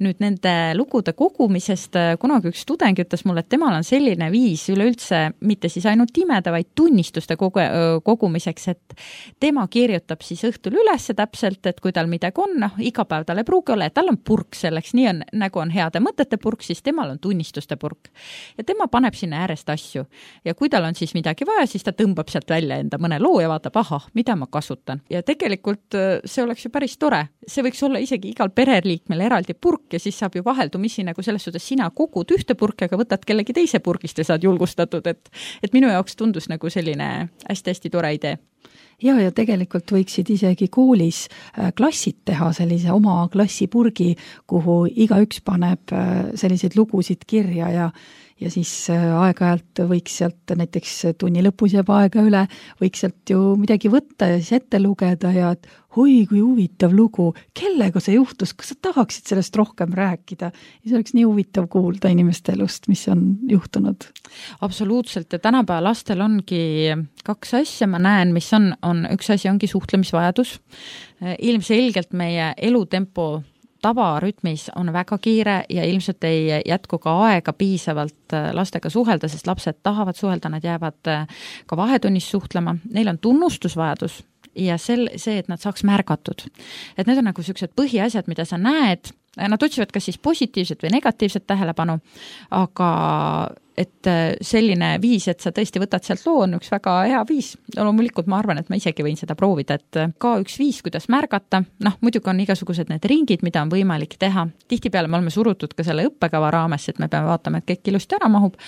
Nüüd nende lugude kogumisest kunagi üks tudeng ütles mulle, et temal on selline viis üleüldse mitte siis ainult imede, vaid tunnistuste kogumiseks, et tema kirjutab siis õhtul üles täpselt, et kui tal midagi on, iga päev tal ei pruugi olla, et tal on purk selleks, nii on, nagu on heade mõtete purk, siis temal on tunnistuste purk. Ja tema paneb sinna äärest asju. Ja kui tal on siis midagi vaja, siis ta tõmbab sealt välja enda mõne loo ja vaatab, mida ma kasutan. Ja tegelikult see oleks ju päris tore. See võiks olla isegi igal pereliikmel eraldi purk ja siis saab ju vaheldumisi nagu selles suhtes sina kogud ühte purki, aga võtad kellegi teise purgist ja saad julgustatud, et minu jaoks tundus nagu selline hästi-hästi tore idee. Ja tegelikult võiksid isegi koolis klassid teha sellise oma klassipurgi, kuhu igaüks paneb selliseid lugusid kirja ja siis aeg-ajalt võiks sealt näiteks tunni lõpus jääb aega üle, võiks sealt ju midagi võtta ja siis ette lugeda ja et oi, kui huvitav lugu, kellega see juhtus, kas sa tahaksid sellest rohkem rääkida? Ja see oleks nii huvitav kuulda inimeste elust, mis on juhtunud. Absoluutselt ja tänapäeva lastel ongi kaks asja, ma näen, mis on üks asi ongi suhtlemisvajadus. Ilmselgelt meie elutempo tavarütmis on väga kiire ja ilmselt ei jätku ka aega piisavalt lastega suhelda, sest lapsed tahavad suhelda, nad jäävad ka vahetunnis suhtlema. Neil on tunnustusvajadus ja see, et nad saaks märgatud. Et need on nagu sellised põhiasjad, mida sa näed. Nad otsivad kas siis positiivset või negatiivset tähelepanu, aga et selline viis, et sa tõesti võtad sealt loo, on üks väga hea viis. Loomulikult ma arvan, et ma isegi võin seda proovida, et ka üks viis, kuidas märgata. Muidugi on igasugused need ringid, mida on võimalik teha. Tihtipeale me oleme surutud ka selle õppekava raames, et me peame vaatama, et kõik ilusti ära mahub,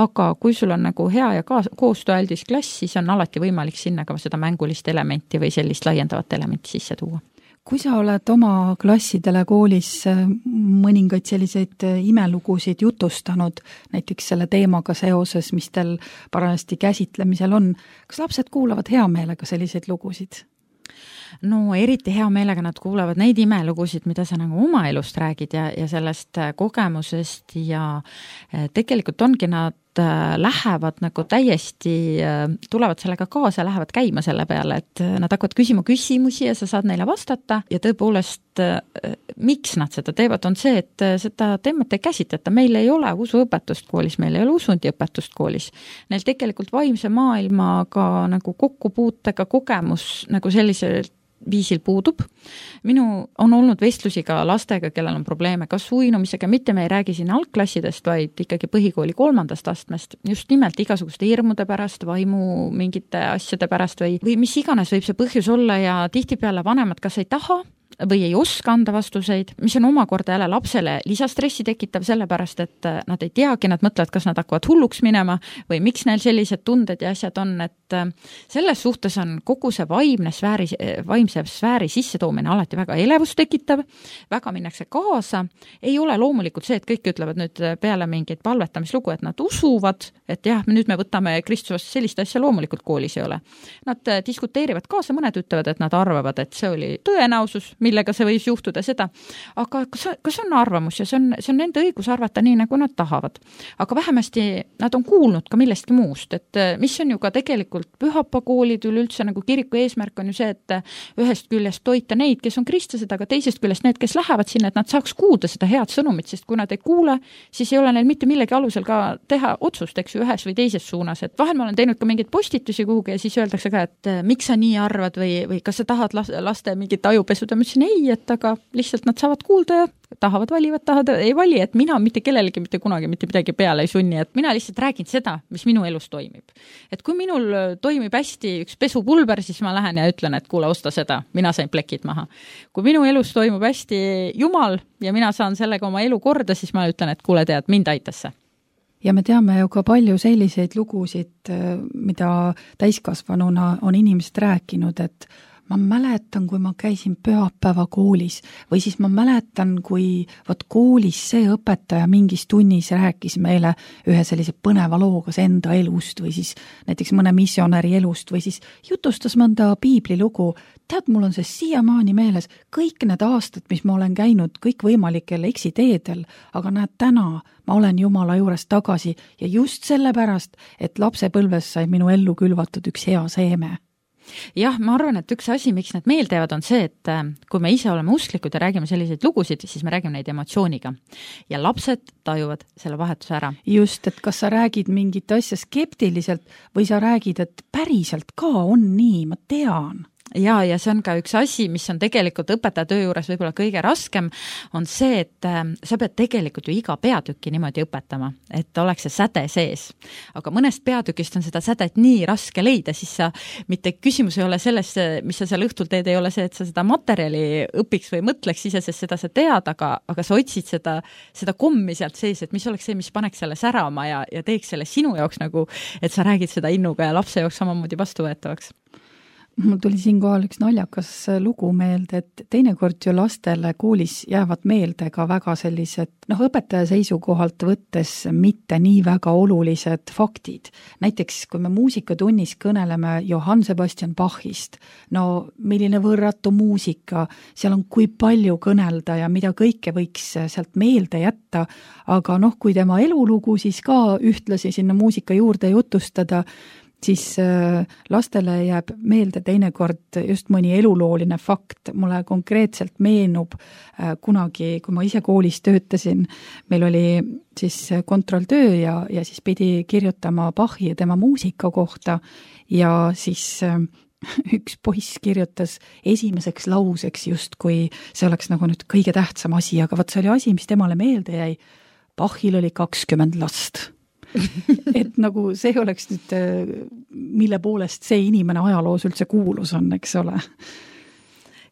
aga kui sul on nagu hea ja koostööaldis klass, siis on alati võimalik sinna ka seda mängulist elementi või sellist laiendavat elementi sisse tuua. Kui sa oled oma klassidele koolis mõningaid selliseid imelugusid jutustanud, näiteks selle teemaga seoses, mis teil parajasti käsitlemisel on, kas lapsed kuulavad hea meelega selliseid lugusid? No eriti hea meelega nad kuulavad neid imelugusid, mida sa nagu oma elust räägid ja sellest kogemusest ja tegelikult ongi nad lähevad nagu täiesti, tulevad sellega kaasa, lähevad käima selle peale, et nad hakkavad küsima küsimusi ja sa saad neile vastata ja tõepoolest, miks nad seda teevad, on see, et seda teemat ei käsitleta. Meil ei ole usuõpetust koolis, meil ei ole usundiõpetust koolis. Neil tegelikult vaimse maailmaga nagu kokkupuutega kogemus nagu selliselt viisil puudub. Minu on olnud vestlusi ka lastega, kellel on probleeme kas uinumisega, mitte me ei räägi siin algklassidest, vaid ikkagi põhikooli 3. astmest, just nimelt igasuguste hirmude pärast, vaimu mingite asjade pärast või mis iganes võib see põhjus olla ja tihtipeale vanemad kas ei taha või ei oska anda vastuseid, mis on omakorda jälle lapsele lisastressi tekitav sellepärast, et nad ei teagi, nad mõtlevad, kas nad hakkavad hulluks minema või miks neil sellised tunded ja asjad on, et selles suhtes on kogu see vaimse sfääri sissetoomine alati väga elevust tekitav, väga minnakse kaasa, ei ole loomulikult see, et kõik ütlevad nüüd peale mingit palvetamislugu, et nad usuvad, et jah, nüüd me võtame Kristusest sellist asja, loomulikult koolis ei ole. Nad diskuteerivad kaasa, mõned ütlevad, et nad arvavad, et see oli tõenäosus, millega see võis juhtuda seda, aga kas on arvamus ja see on nende õigus arvata nii, nagu nad tahavad. Aga vähemasti nad on kuulnud ka millestki muust, et mis on ju ka tegelikult pühapakoolid üleüldse nagu kiriku eesmärk on ju see, et ühest küljest toita neid, kes on kristlased, aga teisest küljest need, kes lähevad sinna, et nad saaks kuulda seda head sõnumit, sest kui nad ei kuule, siis ei ole neil mitte millegi alusel ka teha otsust, eks ju, ühes või teises suunas, et vahel ma olen teinud ka mingeid postitusi kuhugi ja siis öeldakse ka, et miks sa nii arvad või kas sa tahad laste mingit ajupesuda, ma ütlesin ei, et aga lihtsalt nad saavad kuulda ja tahavad valivad, tahavad ei vali, et mina mitte kellelegi mitte kunagi mitte midagi peale ei sunni, et mina lihtsalt räägin seda, mis minu elus toimib. Et kui minul toimib hästi üks pesupulber, siis ma lähen ja ütlen, et kuule, osta seda, mina sain plekid maha. Kui minu elus toimub hästi Jumal ja mina saan sellega oma elu korda, siis ma ütlen, et kuule tead, mind aitas see. Ja me teame ju ka palju selliseid lugusid, mida täiskasvanuna on inimesed rääkinud, et ma mäletan, kui ma käisin pühapäeva koolis või siis ma mäletan, kui koolis see õpetaja mingis tunnis rääkis meile ühe sellise põneva loo kas enda elust või siis näiteks mõne missionäri elust või siis jutustas mõnda piiblilugu. Tead, mul on see siiamaani meeles, kõik need aastad, mis ma olen käinud kõikvõimalikel eksiteedel, aga näed, täna ma olen Jumala juures tagasi ja just sellepärast, et lapsepõlves sai minu ellu külvatud üks hea seeme. Jah, ma arvan, et üks asi, miks need meeldevad, on see, et kui me ise oleme usklikud ja räägime selliseid lugusid, siis me räägime neid emotsiooniga. Ja lapsed tajuvad selle vahetuse ära. Just, et kas sa räägid mingit asja skeptiliselt või sa räägid, et päriselt ka on nii, ma tean. Ja see on ka üks asi, mis on tegelikult õpetaja töö juures võib-olla kõige raskem, on see, et sa pead tegelikult ju iga peatükki niimoodi õpetama, et oleks see säde sees. Aga mõnest peatükist on seda sädet nii raske leida, siis sa mitte küsimus ei ole selles, mis sa seal õhtul teed, ei ole see, et sa seda materjali õpiks või mõtleks ise, sest seda sa tead, aga sa otsid seda kommi sealt sees, et mis oleks see, mis paneks selle särama ja teeks selle sinu jaoks nagu, et sa räägid seda innuga ja lapse jaoks samamoodi vastuvõetavaks. Mul tuli siinkohal üks naljakas lugu meelde, et teinekord ju lastele koolis jäävad meelde ka väga sellised, õpetaja seisukohalt võttes mitte nii väga olulised faktid. Näiteks, kui me muusikatunnis kõneleme Johann Sebastian Bachist, milline võrratu muusika, seal on kui palju kõnelda ja mida kõike võiks sealt meelde jätta, aga kui tema elulugu siis ka ühtlasi sinna muusika juurde jutustada, siis lastele jääb meelde teinekord just mõni elulooline fakt. Mulle konkreetselt meenub kunagi, kui ma ise koolis töötasin, meil oli siis kontrolltöö ja siis pidi kirjutama Bachi ja tema muusika kohta ja siis üks poiss kirjutas esimeseks lauseks just, kui see oleks nagu nüüd kõige tähtsam asi, aga see oli asi, mis temale meelde jäi. Bachil oli 20 last. Et nagu see oleks nüüd, mille poolest see inimene ajaloos üldse kuulus on, eks ole.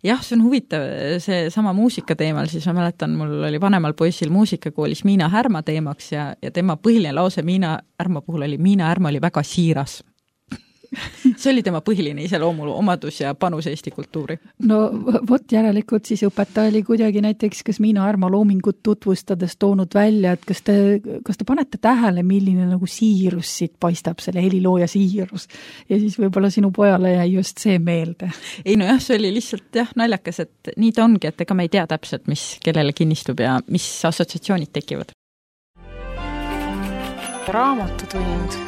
Jah, see on huvitav, see sama muusika teemal, siis ma mäletan, mul oli vanemal poisil muusikakoolis Miina Härma teemaks ja tema põhiline lause Miina Härma puhul oli, Miina Härma oli väga siiras. See oli tema põhiline iseloomu omadus ja panus Eesti kultuuri. Järelikult siis õpetaja oli kuidagi näiteks, kas Miina Härma loomingut tutvustades toonud välja, et kas te panete tähele, milline nagu siirus siit paistab, selle helilooja siirus ja siis võib-olla sinu pojale jäi just see meelde. Ei see oli lihtsalt naljakas, et nii ta ongi, et ega me ei tea täpselt, mis kellele kinnistub ja mis assotsiatsioonid tekivad. Raamatutund.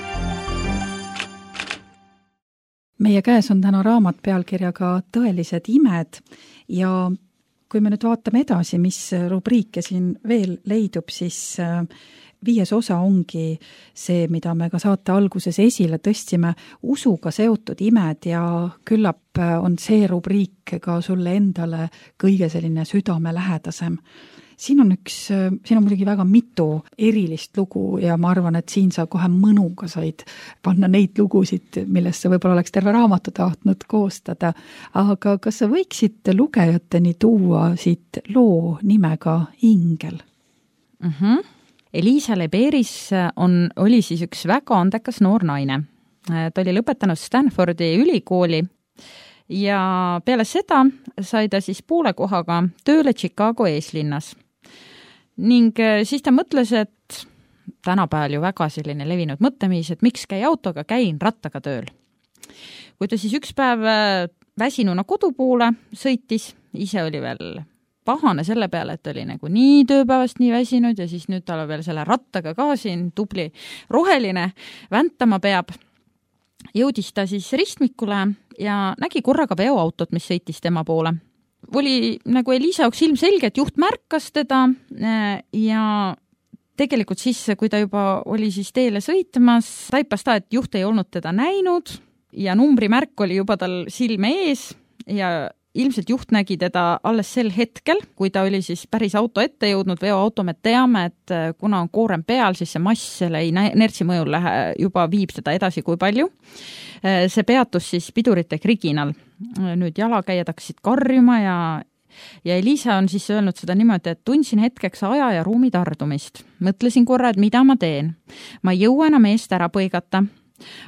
Meie käes on täna raamat pealkirjaga Tõelised imed ja kui me nüüd vaatame edasi, mis rubriike siin veel leidub, siis 5. osa ongi see, mida me ka saate alguses esile tõstsime, usuga seotud imed ja küllap on see rubriik ka sulle endale kõige selline südamelähedasem. Siin on muidugi väga mitu erilist lugu ja ma arvan, et siin sa kohe mõnuga said panna neid lugusid, millest sa võib-olla oleks terve raamatu tahtnud koostada. Aga kas sa võiksid lugejateni tuua siit loo nimega Ingel? Elisa Leberis oli siis üks väga andekas noor naine. Ta oli lõpetanud Stanfordi ülikooli ja peale seda sai ta siis poole kohaga tööle Chicago eeslinnas. Ning siis ta mõtles, et tänapäeval ju väga selline levinud mõttemis, et miks käi autoga, käin rattaga tööl. Kui ta siis üks päev väsinuna kodu poole sõitis, ise oli veel pahane selle peale, et oli nagu nii tööpäevast nii väsinud ja siis nüüd tal veel selle rattaga ka siin tubli roheline väntama peab. Jõudis ta siis ristmikule ja nägi korraga veoautot, mis sõitis tema poole. Oli nagu Elisa jaoks ilmselge, et juht märkas teda ja tegelikult siis, kui ta juba oli siis teele sõitmas, taipas ta, et juht ei olnud teda näinud ja numbrimärk oli juba tal silme ees ja ilmselt juht nägi teda alles sel hetkel, kui ta oli siis päris auto ette jõudnud, veoauto me teame, et kuna on koorem peal, siis see mass selle inertsi mõjul juba viib seda edasi kui palju. See peatus siis pidurite kriginal. Nüüd jalakäijad hakkasid karjuma ja ja Elisa on siis öelnud seda niimoodi, et tundsin hetkeks aja ja ruumi tardumist. Mõtlesin korra, et mida ma teen. Ma ei jõua enam eest ära põigata.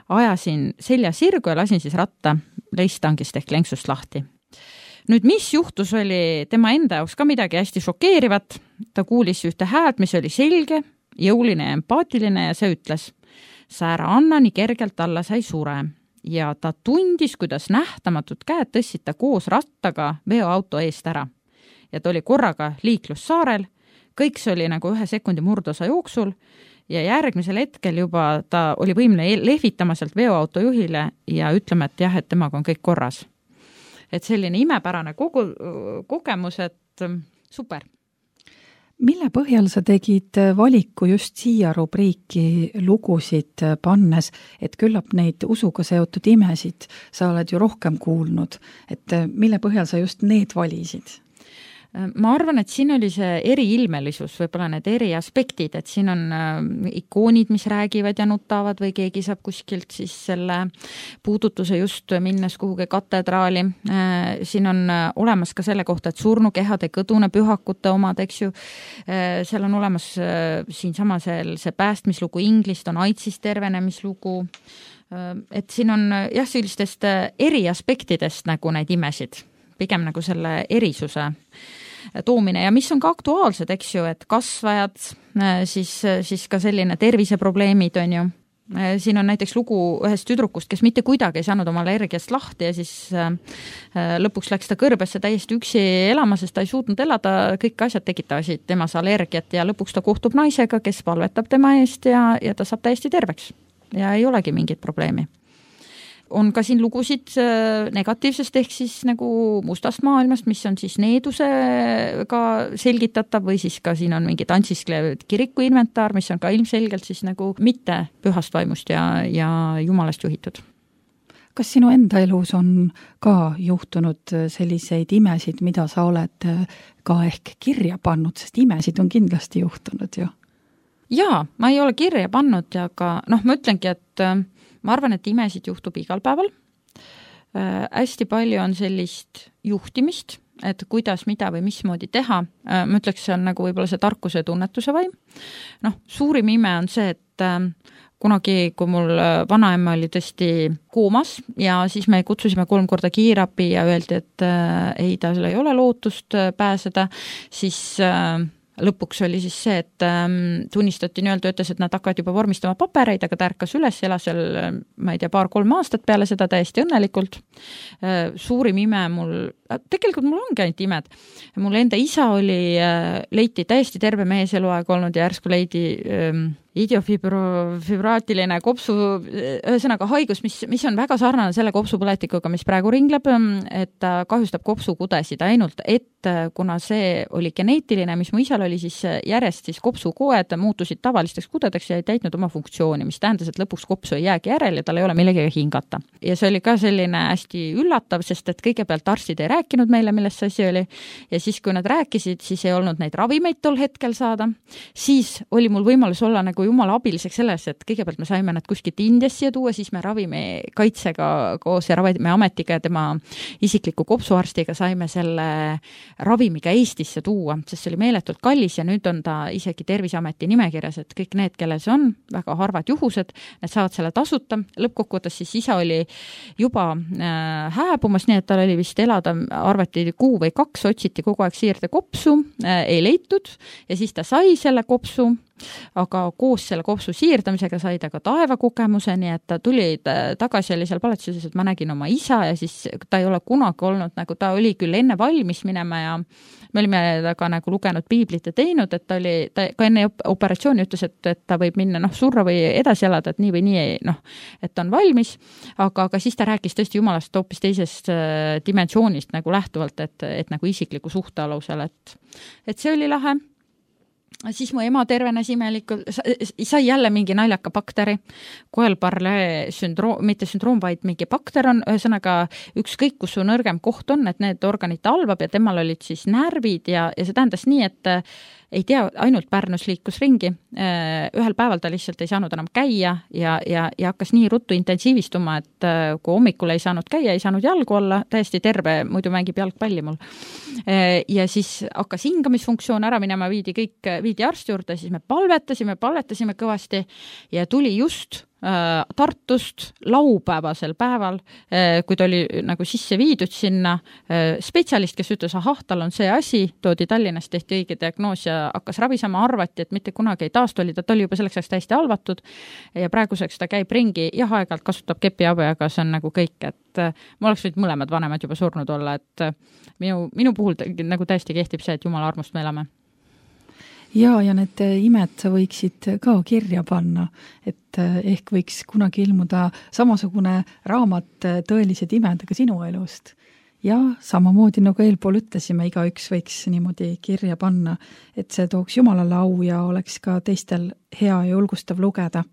Ajasin selja sirgu ja lasin siis ratta leistangist ehk lenksust lahti. Nüüd, mis juhtus, oli tema enda jaoks ka midagi hästi šokeerivat. Ta kuulis ühte häält, mis oli selge, jõuline ja empaatiline ja see ütles, sa ära anna nii kergelt alla, sa ei sure. Ja ta tundis, kuidas nähtamatud käed tõssid ta koos rattaga veoauto eest ära. Ja ta oli korraga liiklussaarel, kõik see oli nagu 1 sekundi murdosa jooksul ja järgmisel hetkel juba ta oli võimeline lehvitama sealt veoauto juhile ja ütlema, et jah, et temaga on kõik korras. Et selline imepärane kogemus, et super. Mille põhjal sa tegid valiku just siia rubriiki lugusid pannes, et küllap neid usuga seotud imesid sa oled ju rohkem kuulnud, et mille põhjal sa just need valisid? Ma arvan, et siin oli see eriilmelisus, võib-olla need eri aspektid, et siin on ikoonid, mis räägivad ja nutavad või keegi saab kuskilt siis selle puudutuse just minnes kuhugi katedraali. Siin on olemas ka selle kohta, et surnukehade kõdune pühakute omad, eks ju. Seal on olemas siin sama see päästmislugu Inglist, on AIDSist tervenemislugu. Et siin on jah, sellistest eri aspektidest nagu neid imesid, pigem nagu selle erisuse toomine ja mis on ka aktuaalsed, eks ju, et kasvajad, siis ka selline terviseprobleemid on ju. Siin on näiteks lugu ühest tüdrukust, kes mitte kuidagi ei saanud oma allergiast lahti ja siis lõpuks läks ta kõrbesse täiesti üksi elama, sest ta ei suutnud elada, kõik asjad tekitasid temas allergiat ja lõpuks ta kohtub naisega, kes palvetab tema eest ja ta saab täiesti terveks ja ei olegi mingit probleemi. On ka siin lugusid negatiivsest ehk siis nagu mustast maailmast, mis on siis needusega selgitatav või siis ka siin on mingi tantsisklev kiriku inventar, mis on ka ilmselgelt siis nagu mitte pühast vaimust ja jumalast juhitud. Kas sinu enda elus on ka juhtunud selliseid imesid, mida sa oled ka ehk kirja pannud, sest imesid on kindlasti juhtunud ju? Jaa, ma ei ole kirja pannud, aga ma ütlengi, et ma arvan, et imesid juhtub igal päeval. Hästi palju on sellist juhtimist, et kuidas, mida või mismoodi teha. Ma ütleks, see on nagu võib-olla see tarkuse ja tunnetuse vaim. Suurim ime on see, et kunagi, kui mul vanaema oli tõesti koomas ja siis me kutsusime 3 korda kiirabi ja öeldi, et ei, tal ei ole lootust pääseda, siis lõpuks oli siis see, et tunnistati nii-öelda, ütles, et nad hakkavad juba vormistama papereid, aga ta ärkas üles, elas seal, ma ei tea, 2-3 aastat peale seda täiesti õnnelikult. Suurim ime tegelikult mul ongi ainult imed. Mul enda isa leiti täiesti terve mees eluaeg olnud ja järsku leidi idiofibraatiline kopsu, ühesõnaga haigus, mis on väga sarnane selle kopsupõletikuga, mis praegu ringleb, et ta kahjustab kopsukudesid ainult, et kuna see oli geneetiline, mis mu isal oli, siis järjest siis kopsukoed muutusid tavalisteks kudedeks ja ei täitnud oma funktsiooni, mis tähendas, et lõpuks kopsu ei jäägi järel ja tal ei ole millegagi hingata. Ja see oli ka selline hästi üllatav, sest et kõigepealt arstid ei rääkinud meile, millest see asi oli ja siis, kui nad rääkisid, siis ei olnud neid ravimeid tol hetkel saada. Siis oli mul võimalus olla nagu jumala abiliseks selles, et kõigepealt me saime nad kuskilt Indiast siia tuua, siis me ravimikaitsega koos ja ravimiametiga ja tema isikliku kopsuarstiga saime selle ravimiga Eestisse tuua, sest see oli meeletult kallis ja nüüd on ta isegi Terviseameti nimekirjas, et kõik need, kellel see on, väga harvad juhused, need saavad selle tasuta. Lõppkokkuvõttes siis isa oli juba hääbumas, nii et tal oli vist elada, arvati 1 kuu või 2, otsiti kogu aeg siirde kopsu, ei leitud ja siis ta sai selle kopsu, aga koos selle kopsu siirdamisega sai ta ka taevakogemuse, nii et ta tuli tagasi, oli seal palatsuses, et ma nägin oma isa ja siis ta ei ole kunagi olnud, nagu ta oli küll enne valmis minema ja me olime taga nagu lugenud piiblit ja teinud, et ta ka enne operatsiooni ütles, et ta võib minna surra või edasi elada, et nii või nii, et on valmis, aga siis ta rääkis tõesti jumalast hoopis teisest dimensioonist nagu lähtuvalt, et nagu isikliku suhte alusel, et see oli lahe. Siis mu ema tervenes imelikult, sai jälle mingi naljaka bakteri, Coelbarle sündroom, mitte sündroom, vaid mingi bakter on, ühesõnaga ükskõik, kus su nõrgem koht on, et need organid talvab ja temal olid siis närvid ja see tähendas nii, ei tea, ainult Pärnus liikus ringi, ühel päeval ta lihtsalt ei saanud enam käia ja hakkas nii ruttu intensiivistuma, et kui hommikul ei saanud käia, ei saanud jalgu olla, täiesti terve, muidu mängib jalgpalli mul. Ja siis hakkas hingamisfunktsioon ära minema, viidi arsti juurde, siis me palvetasime kõvasti ja tuli just Tartust laupäevasel päeval, kui ta oli nagu sisse viidud sinna spetsialist, kes ütles, tal on see asi, toodi Tallinnas, tehti õige diagnoos ja hakkas ravisema, arvati, et mitte kunagi ei taastoli, ta oli juba selleks ajaks täiesti halvatud ja praeguseks ta käib ringi, aeg-ajalt kasutab kepiabi, aga see on nagu kõik, et ma oleks võinud mõlemad vanemad juba surnud olla, et minu puhul nagu täiesti kehtib see, et Jumala armust me elame. Ja need imed sa võiksid ka kirja panna, et ehk võiks kunagi ilmuda samasugune raamat tõelised imed ka sinu elust. Ja samamoodi, nagu eelpool ütlesime, igaüks võiks niimoodi kirja panna, et see tooks Jumalale au ja oleks ka teistel hea ja julgustav lugeda.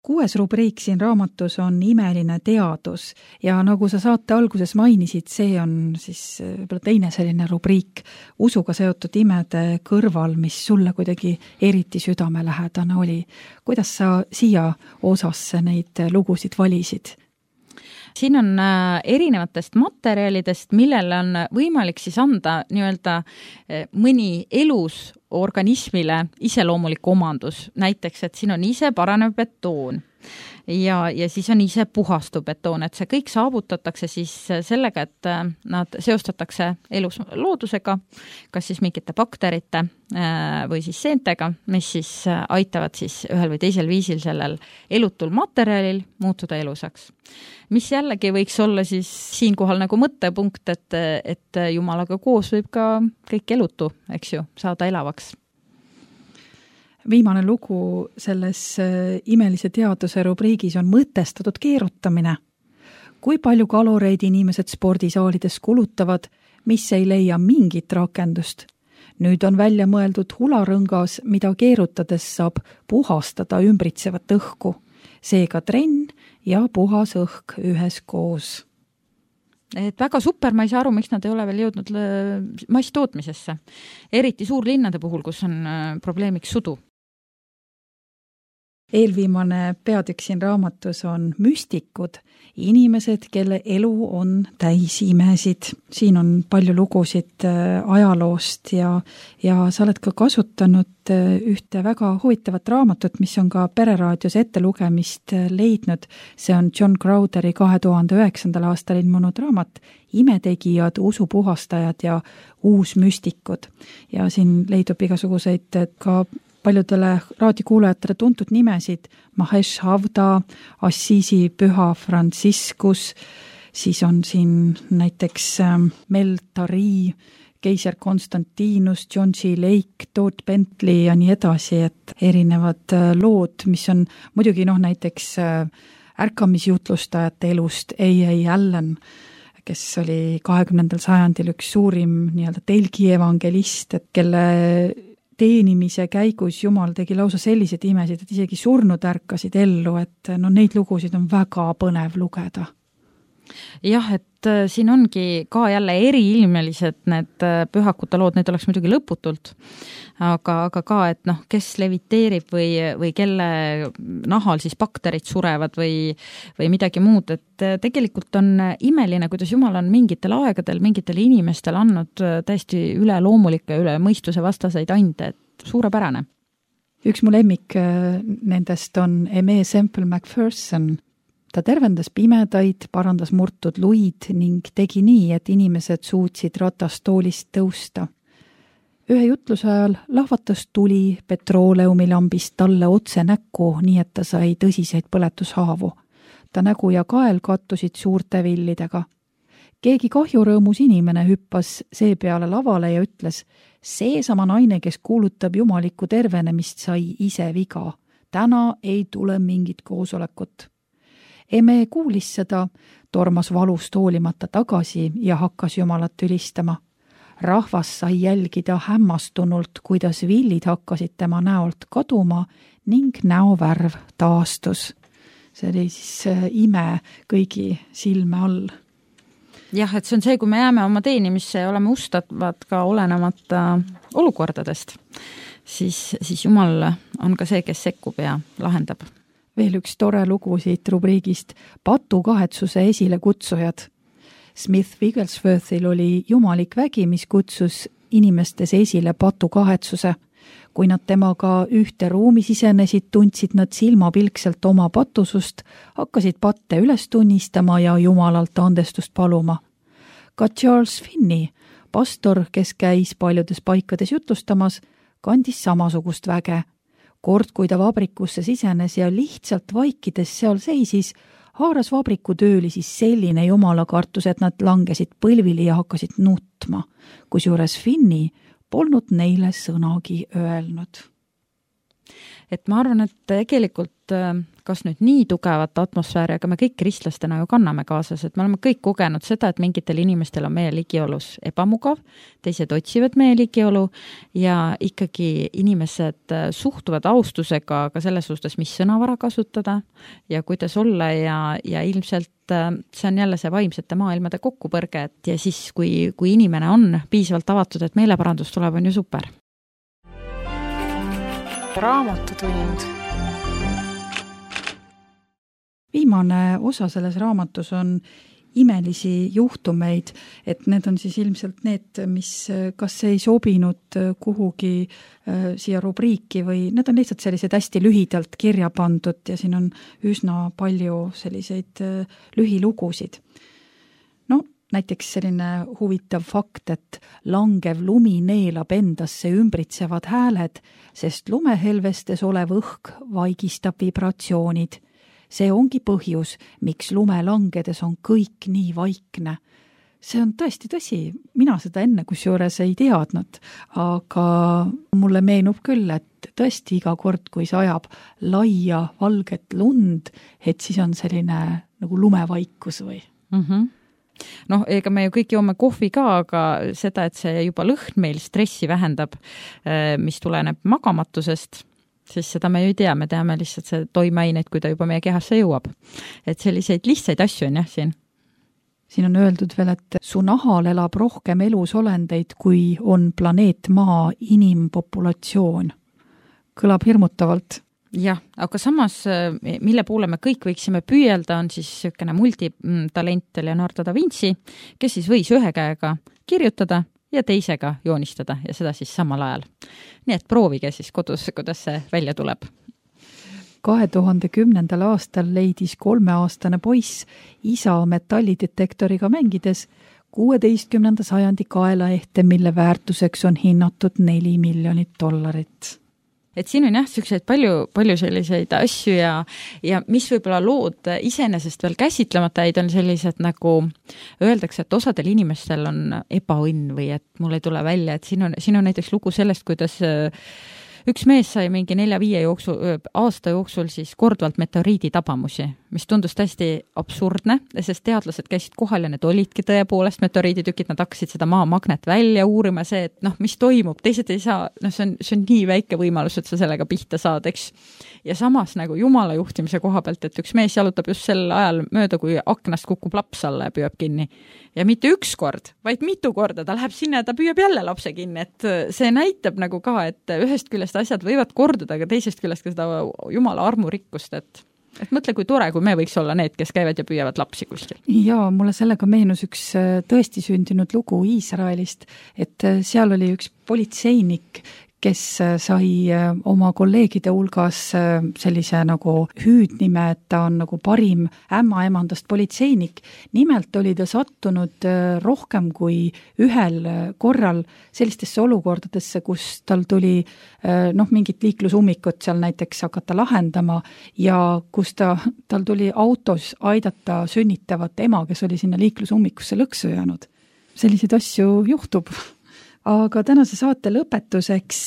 Kuues rubriik siin raamatus on imeline teadus ja nagu sa saate alguses mainisid, see on siis teine selline rubriik usuga seotud imede kõrval, mis sulle kuidagi eriti südamelähedane oli. Kuidas sa siia osasse neid lugusid valisid? Siin on erinevatest materjalidest, millele on võimalik siis anda nii-öelda mõni elus organismile iseloomulik omandus. Näiteks, et siin on ise paranev betoon ja siis on ise puhastuv betoon, et see kõik saavutatakse siis sellega, et nad seostatakse elus loodusega, kas siis mingite bakterite või siis seentega, mis siis aitavad siis ühel või teisel viisil sellel elutul materjalil muutuda elusaks. Mis jällegi võiks olla siis siinkohal nagu mõttepunkt, et Jumalaga koos võib ka kõik elutu, eks ju, saada elavaks. Viimane lugu selles imelise teaduse rubriigis on mõtestatud keerutamine. Kui palju kaloreid inimesed spordisaalides kulutavad, mis ei leia mingit rakendust? Nüüd on välja mõeldud hularõngas, mida keerutades saab puhastada ümbritsevat õhku. Seega trenn ja puhas õhk üheskoos. Et väga super, ma ei saa aru, miks nad ei ole veel jõudnud masstootmisesse. Eriti suurlinnade puhul, kus on probleemiks sudu. Eelviimane peatükk siin raamatus on müstikud, inimesed, kelle elu on täis imesid. Siin on palju lugusid ajaloost ja sa oled ka kasutanud ühte väga huvitavat raamatut, mis on ka Pereraadios ettelugemist leidnud. See on John Crowderi 2009. aastal ilmunud raamat Imetegijad, usupuhastajad ja uusmüstikud. Ja siin leidub igasuguseid ka paljudele raadiokuulajatele tuntud nimesid, Mahesh Havda, Assisi püha Franciscus, siis on siin näiteks Mel Tari, keiser Konstantinus, John G. Lake, Todd Bentley ja nii edasi, et erinevad lood, mis on muidugi näiteks ärkamisjutlustajate elust A.A. Allen, kes oli 20. sajandil üks suurim telgi evangelist, et kelle teenimise käigus Jumal tegi lausa sellised imesid, et isegi surnud ärkasid ellu, et neid lugusid on väga põnev lugeda. Jah, et siin ongi ka jälle eriilmelised need pühakute lood, need oleks muidugi lõputult, aga ka, et kes leviteerib või kelle nahal siis bakterid surevad või midagi muud, et tegelikult on imeline, kuidas Jumal on mingitel aegadel, mingitel inimestel andnud täiesti üleloomulikke, üle mõistuse vastaseid ande, et suurepärane. Üks mu lemmik nendest on Aimé Semple McPherson. Ta tervendas pimedaid, parandas murtud luid ning tegi nii, et inimesed suutsid ratastoolist tõusta. Ühe jutluse ajal lahvatas tuli petrooleumilambist talle otse näkku, nii et ta sai tõsiseid põletushaavu. Ta nägu ja kael kattusid suurte villidega. Keegi kahjurõõmus inimene hüppas seepeale lavale ja ütles, seesama naine, kes kuulutab jumalikku tervenemist, sai ise viga. Täna ei tule mingit koosolekut. Eme kuulis seda, tormas valust hoolimata tagasi ja hakkas Jumalat ülistama. Rahvas sai jälgida hämmastunult, kuidas villid hakkasid tema näolt kaduma ning näovärv taastus. See oli siis ime kõigi silme all. Jah, et see on see, kui me jääme oma teenimisse ja oleme ustavad ka olenemata olukordadest, siis Jumal on ka see, kes sekkub ja lahendab. Veel üks tore lugu siit rubriigist Patukahetsuse esile kutsujad. Smith Wigglesworthil oli jumalik vägi, mis kutsus inimestes esile patukahetsuse. Kui nad temaga ühte ruumi sisenesid, tundsid nad silmapilkselt oma patusust, hakkasid patte üles tunnistama ja Jumalalt andestust paluma. Ka Charles Finney, pastor, kes käis paljudes paikades jutlustamas, kandis samasugust väge. Kord, kui ta vabrikusse sisenes ja lihtsalt vaikides seal seisis, haaras vabriku töölisi selline jumalakartus, et nad langesid põlvili ja hakkasid nutma, kusjuures Finney polnud neile sõnagi öelnud. Et ma arvan, et tegelikult kas nüüd nii tugevat atmosfääri, aga me kõik kristlastena ju kanname kaasas, et me oleme kõik kogenud seda, et mingitel inimestel on meie ligiolus ebamugav, teised otsivad meie ligiolu ja ikkagi inimesed suhtuvad austusega ka selles suhtes, mis sõnavara kasutada ja kuidas olla ja ilmselt see on jälle see vaimsete maailmade kokkupõrge, et ja siis, kui inimene on piisavalt avatud, et meeleparandus tuleb, on ju super. Raamatutund. Viimane osa selles raamatus on imelisi juhtumeid, et need on siis ilmselt need, mis kas ei sobinud kuhugi siia rubriiki või need on lihtsalt sellised hästi lühidalt kirja pandud ja siin on üsna palju selliseid lühilugusid. Näiteks selline huvitav fakt, et langev lumi neelab endasse ümbritsevad hääled, sest lumehelvestes olev õhk vaigistab vibratsioonid. See ongi põhjus, miks lume langedes on kõik nii vaikne. See on tõesti tõsi, mina seda enne kusjuures ei teadnud, aga mulle meenub küll, et tõesti iga kord, kui sajab laia valget lund, et siis on selline nagu lumevaikus või? Ega me ju kõik joome kohvi ka, aga seda, et see juba lõhn meil stressi vähendab, mis tuleneb magamatusest, siis seda me ju ei tea, me teame lihtsalt see toimeaineid, kui ta juba meie kehasse jõuab. Et selliseid lihtsaid asju on jah siin. Siin on öeldud veel, et su nahal elab rohkem elusolendeid, kui on planeet Maa inimpopulatsioon. Kõlab hirmutavalt. jah, aga samas, mille poole me kõik võiksime püüelda, on siis niisugune multitalent Leonardo da Vinci, kes siis võis ühe käega kirjutada ja teisega joonistada ja seda siis samal ajal. Nii et proovige siis kodus, kuidas see välja tuleb. 2010. aastal leidis 3-aastane poiss isa metallidetektoriga mängides 16. sajandi kaelaehte, mille väärtuseks on hinnatud $4 miljonit. Et siin on jah, selliseid palju selliseid asju ja mis võib-olla lood iseenesest veel käsitlemata jäid, on sellised nagu öeldakse, et osadel inimestel on ebaõnn või et mul ei tule välja, et siin on näiteks lugu sellest, kuidas üks mees sai mingi 4-5 aasta jooksul siis korduvalt meteoriidi tabamusi, mis tundus täiesti absurdne, sest teadlased käisid kohal ja need olidki tõepoolest meteoriiditükid, nad hakkasid seda maamagnet välja uurima, see, et mis toimub, teised ei saa, see on nii väike võimalus, et sa sellega pihta saad, eks. Ja samas nagu jumala juhtimise koha pealt, et üks mees jalutab just sel ajal mööda, kui aknast kukub laps alla ja püüab kinni. Ja mitte üks kord, vaid mitu korda, ta läheb sinna ja ta püüab jälle lapse kinni, et see näitab nagu ka, et ühest küljest asjad võivad korduda, aga teisest küljest ka seda jumala armurikkust, et mõtle, kui tore, kui me võiks olla need, kes käivad ja püüavad lapsi kuskil. Jaa, mulle sellega meenus üks tõesti sündinud lugu Iisraelist, et seal oli üks politseinik, kes sai oma kolleegide hulgas sellise nagu hüüdnime, et ta on nagu parim ämmaemandast politseinik. Nimelt oli ta sattunud rohkem kui ühel korral sellistesse olukordadesse, kus tal tuli mingit liiklusummikut seal näiteks hakata lahendama ja kus tal tuli autos aidata sünnitavat ema, kes oli sinna liiklusummikusse lõksu jäänud. Selliseid asju juhtub. Aga tänase saate lõpetuseks,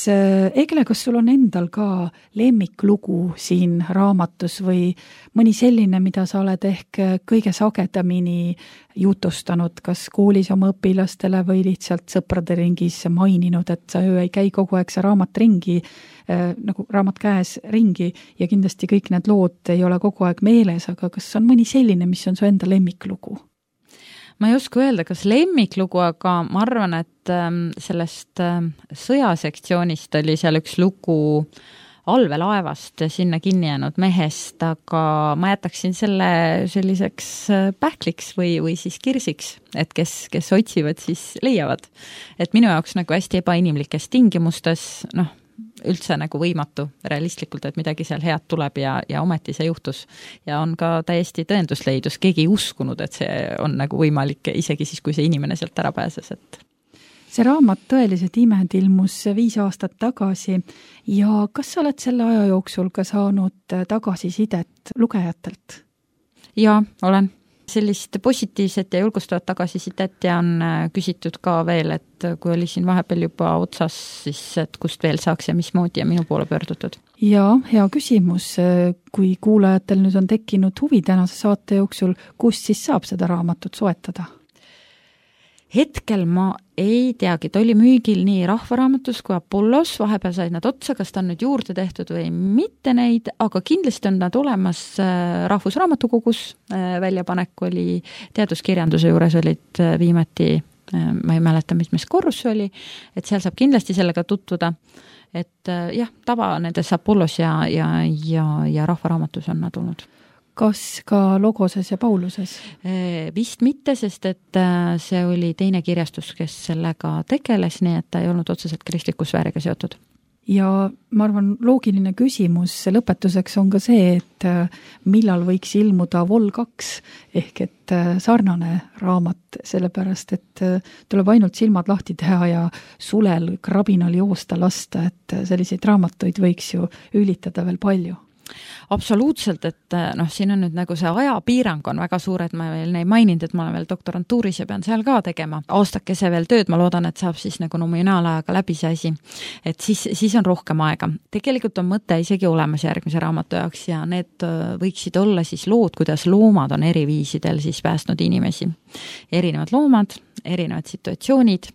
Egle, kas sul on endal ka lemmiklugu siin raamatus või mõni selline, mida sa oled ehk kõige sagedamini jutustanud, kas koolis oma õpilastele või lihtsalt sõprade ringis maininud, et sa ei käi kogu aeg see raamat ringi, nagu raamat käes ringi ja kindlasti kõik need lood ei ole kogu aeg meeles, aga kas on mõni selline, mis on su enda lemmiklugu? Ma ei oska öelda, kas lemmiklugu, aga ma arvan, et sellest sõjasektsioonist oli seal üks lugu allveelaevast sinna kinni jäänud mehest, aga ma jätaksin selle selliseks pähkliks või siis kirsiks, et kes otsivad, siis leiavad. Et minu jaoks nagu hästi ebainimlikes tingimustes, üldse nagu võimatu realistlikult, et midagi seal head tuleb ja ometi see juhtus. Ja on ka täiesti tõendusleidus, keegi ei uskunud, et see on nagu võimalik, isegi siis, kui see inimene sealt ära pääses. Et see raamat Tõelised imed ilmus 5 aastat tagasi ja kas sa oled selle aja jooksul ka saanud tagasisidet lugejatelt? Jaa, olen. Sellist positiivset ja julgustavat tagasisidet ja on küsitud ka veel, et kui oli siin vahepeal juba otsas, siis et kust veel saaks ja mismoodi ja minu poole pöördutud. Ja hea küsimus, kui kuulajatel nüüd on tekkinud huvi tänase saate jooksul, kust siis saab seda raamatut soetada? Hetkel ma ei teagi, ta oli müügil nii Rahvaraamatus kui Apollos, vahepeal said nad otsa, kas ta on nüüd juurde tehtud või mitte neid, aga kindlasti on nad olemas Rahvusraamatukogus, väljapanek oli teaduskirjanduse juures olid viimati, ma ei mäleta, mis korrus oli, et seal saab kindlasti sellega tutvuda, et jah, tava nendes Apollos ja Rahvaraamatus on nad olnud. Kas ka Logoses ja Pauluses? Vist mitte, sest et see oli teine kirjastus, kes sellega tegeles, nii et ta ei olnud otseselt kristliku sfääriga seotud. Ja ma arvan, loogiline küsimus lõpetuseks on ka see, et millal võiks ilmuda Vol 2 ehk et sarnane raamat, sellepärast et tuleb ainult silmad lahti teha ja sulel krabinal joosta lasta, et selliseid raamatuid võiks ju ülitada veel palju. Absoluutselt, et siin on nüüd nagu see ajapiirang on väga suur, et ma veel ei maininud, et ma olen veel doktorantuuris ja pean seal ka tegema aastakese veel tööd, ma loodan, et saab siis nagu nominaalajaga läbi see asi, et siis on rohkem aega. Tegelikult on mõte isegi olemas järgmise raamatu jaoks ja need võiksid olla siis lood, kuidas loomad on eri viisidel siis päästnud inimesi. Erinevad loomad, erinevad situatsioonid,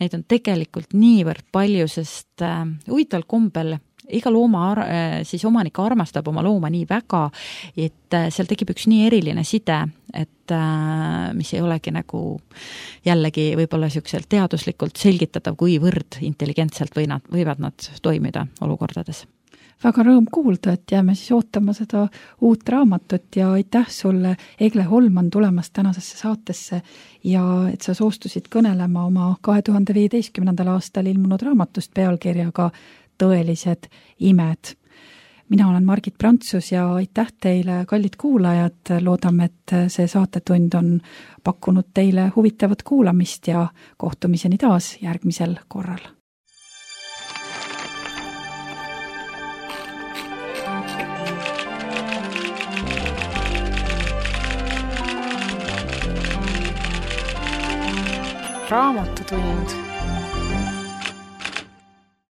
neid on tegelikult niivõrd palju, sest huvitaval kombel iga looma siis omanik armastab oma looma nii väga, et seal tekib üks nii eriline side, et mis ei olegi nagu jällegi võib-olla siukselt teaduslikult selgitatav, kuivõrd intelligentselt võivad nad toimida olukordades. väga rõõm kuulda, et jääme siis ootama seda uut raamatut ja aitäh sulle, Egle Holman, tulemast tänasesse saatesse ja et sa soostusid kõnelema oma 2015. aastal ilmunud raamatust pealkirjaga Tõelised imed. Mina olen Margit Prantsus ja aitäh teile, kallid kuulajad, loodame, et see saatetund on pakkunud teile huvitavat kuulamist ja kohtumiseni taas järgmisel korral. Raamatutund.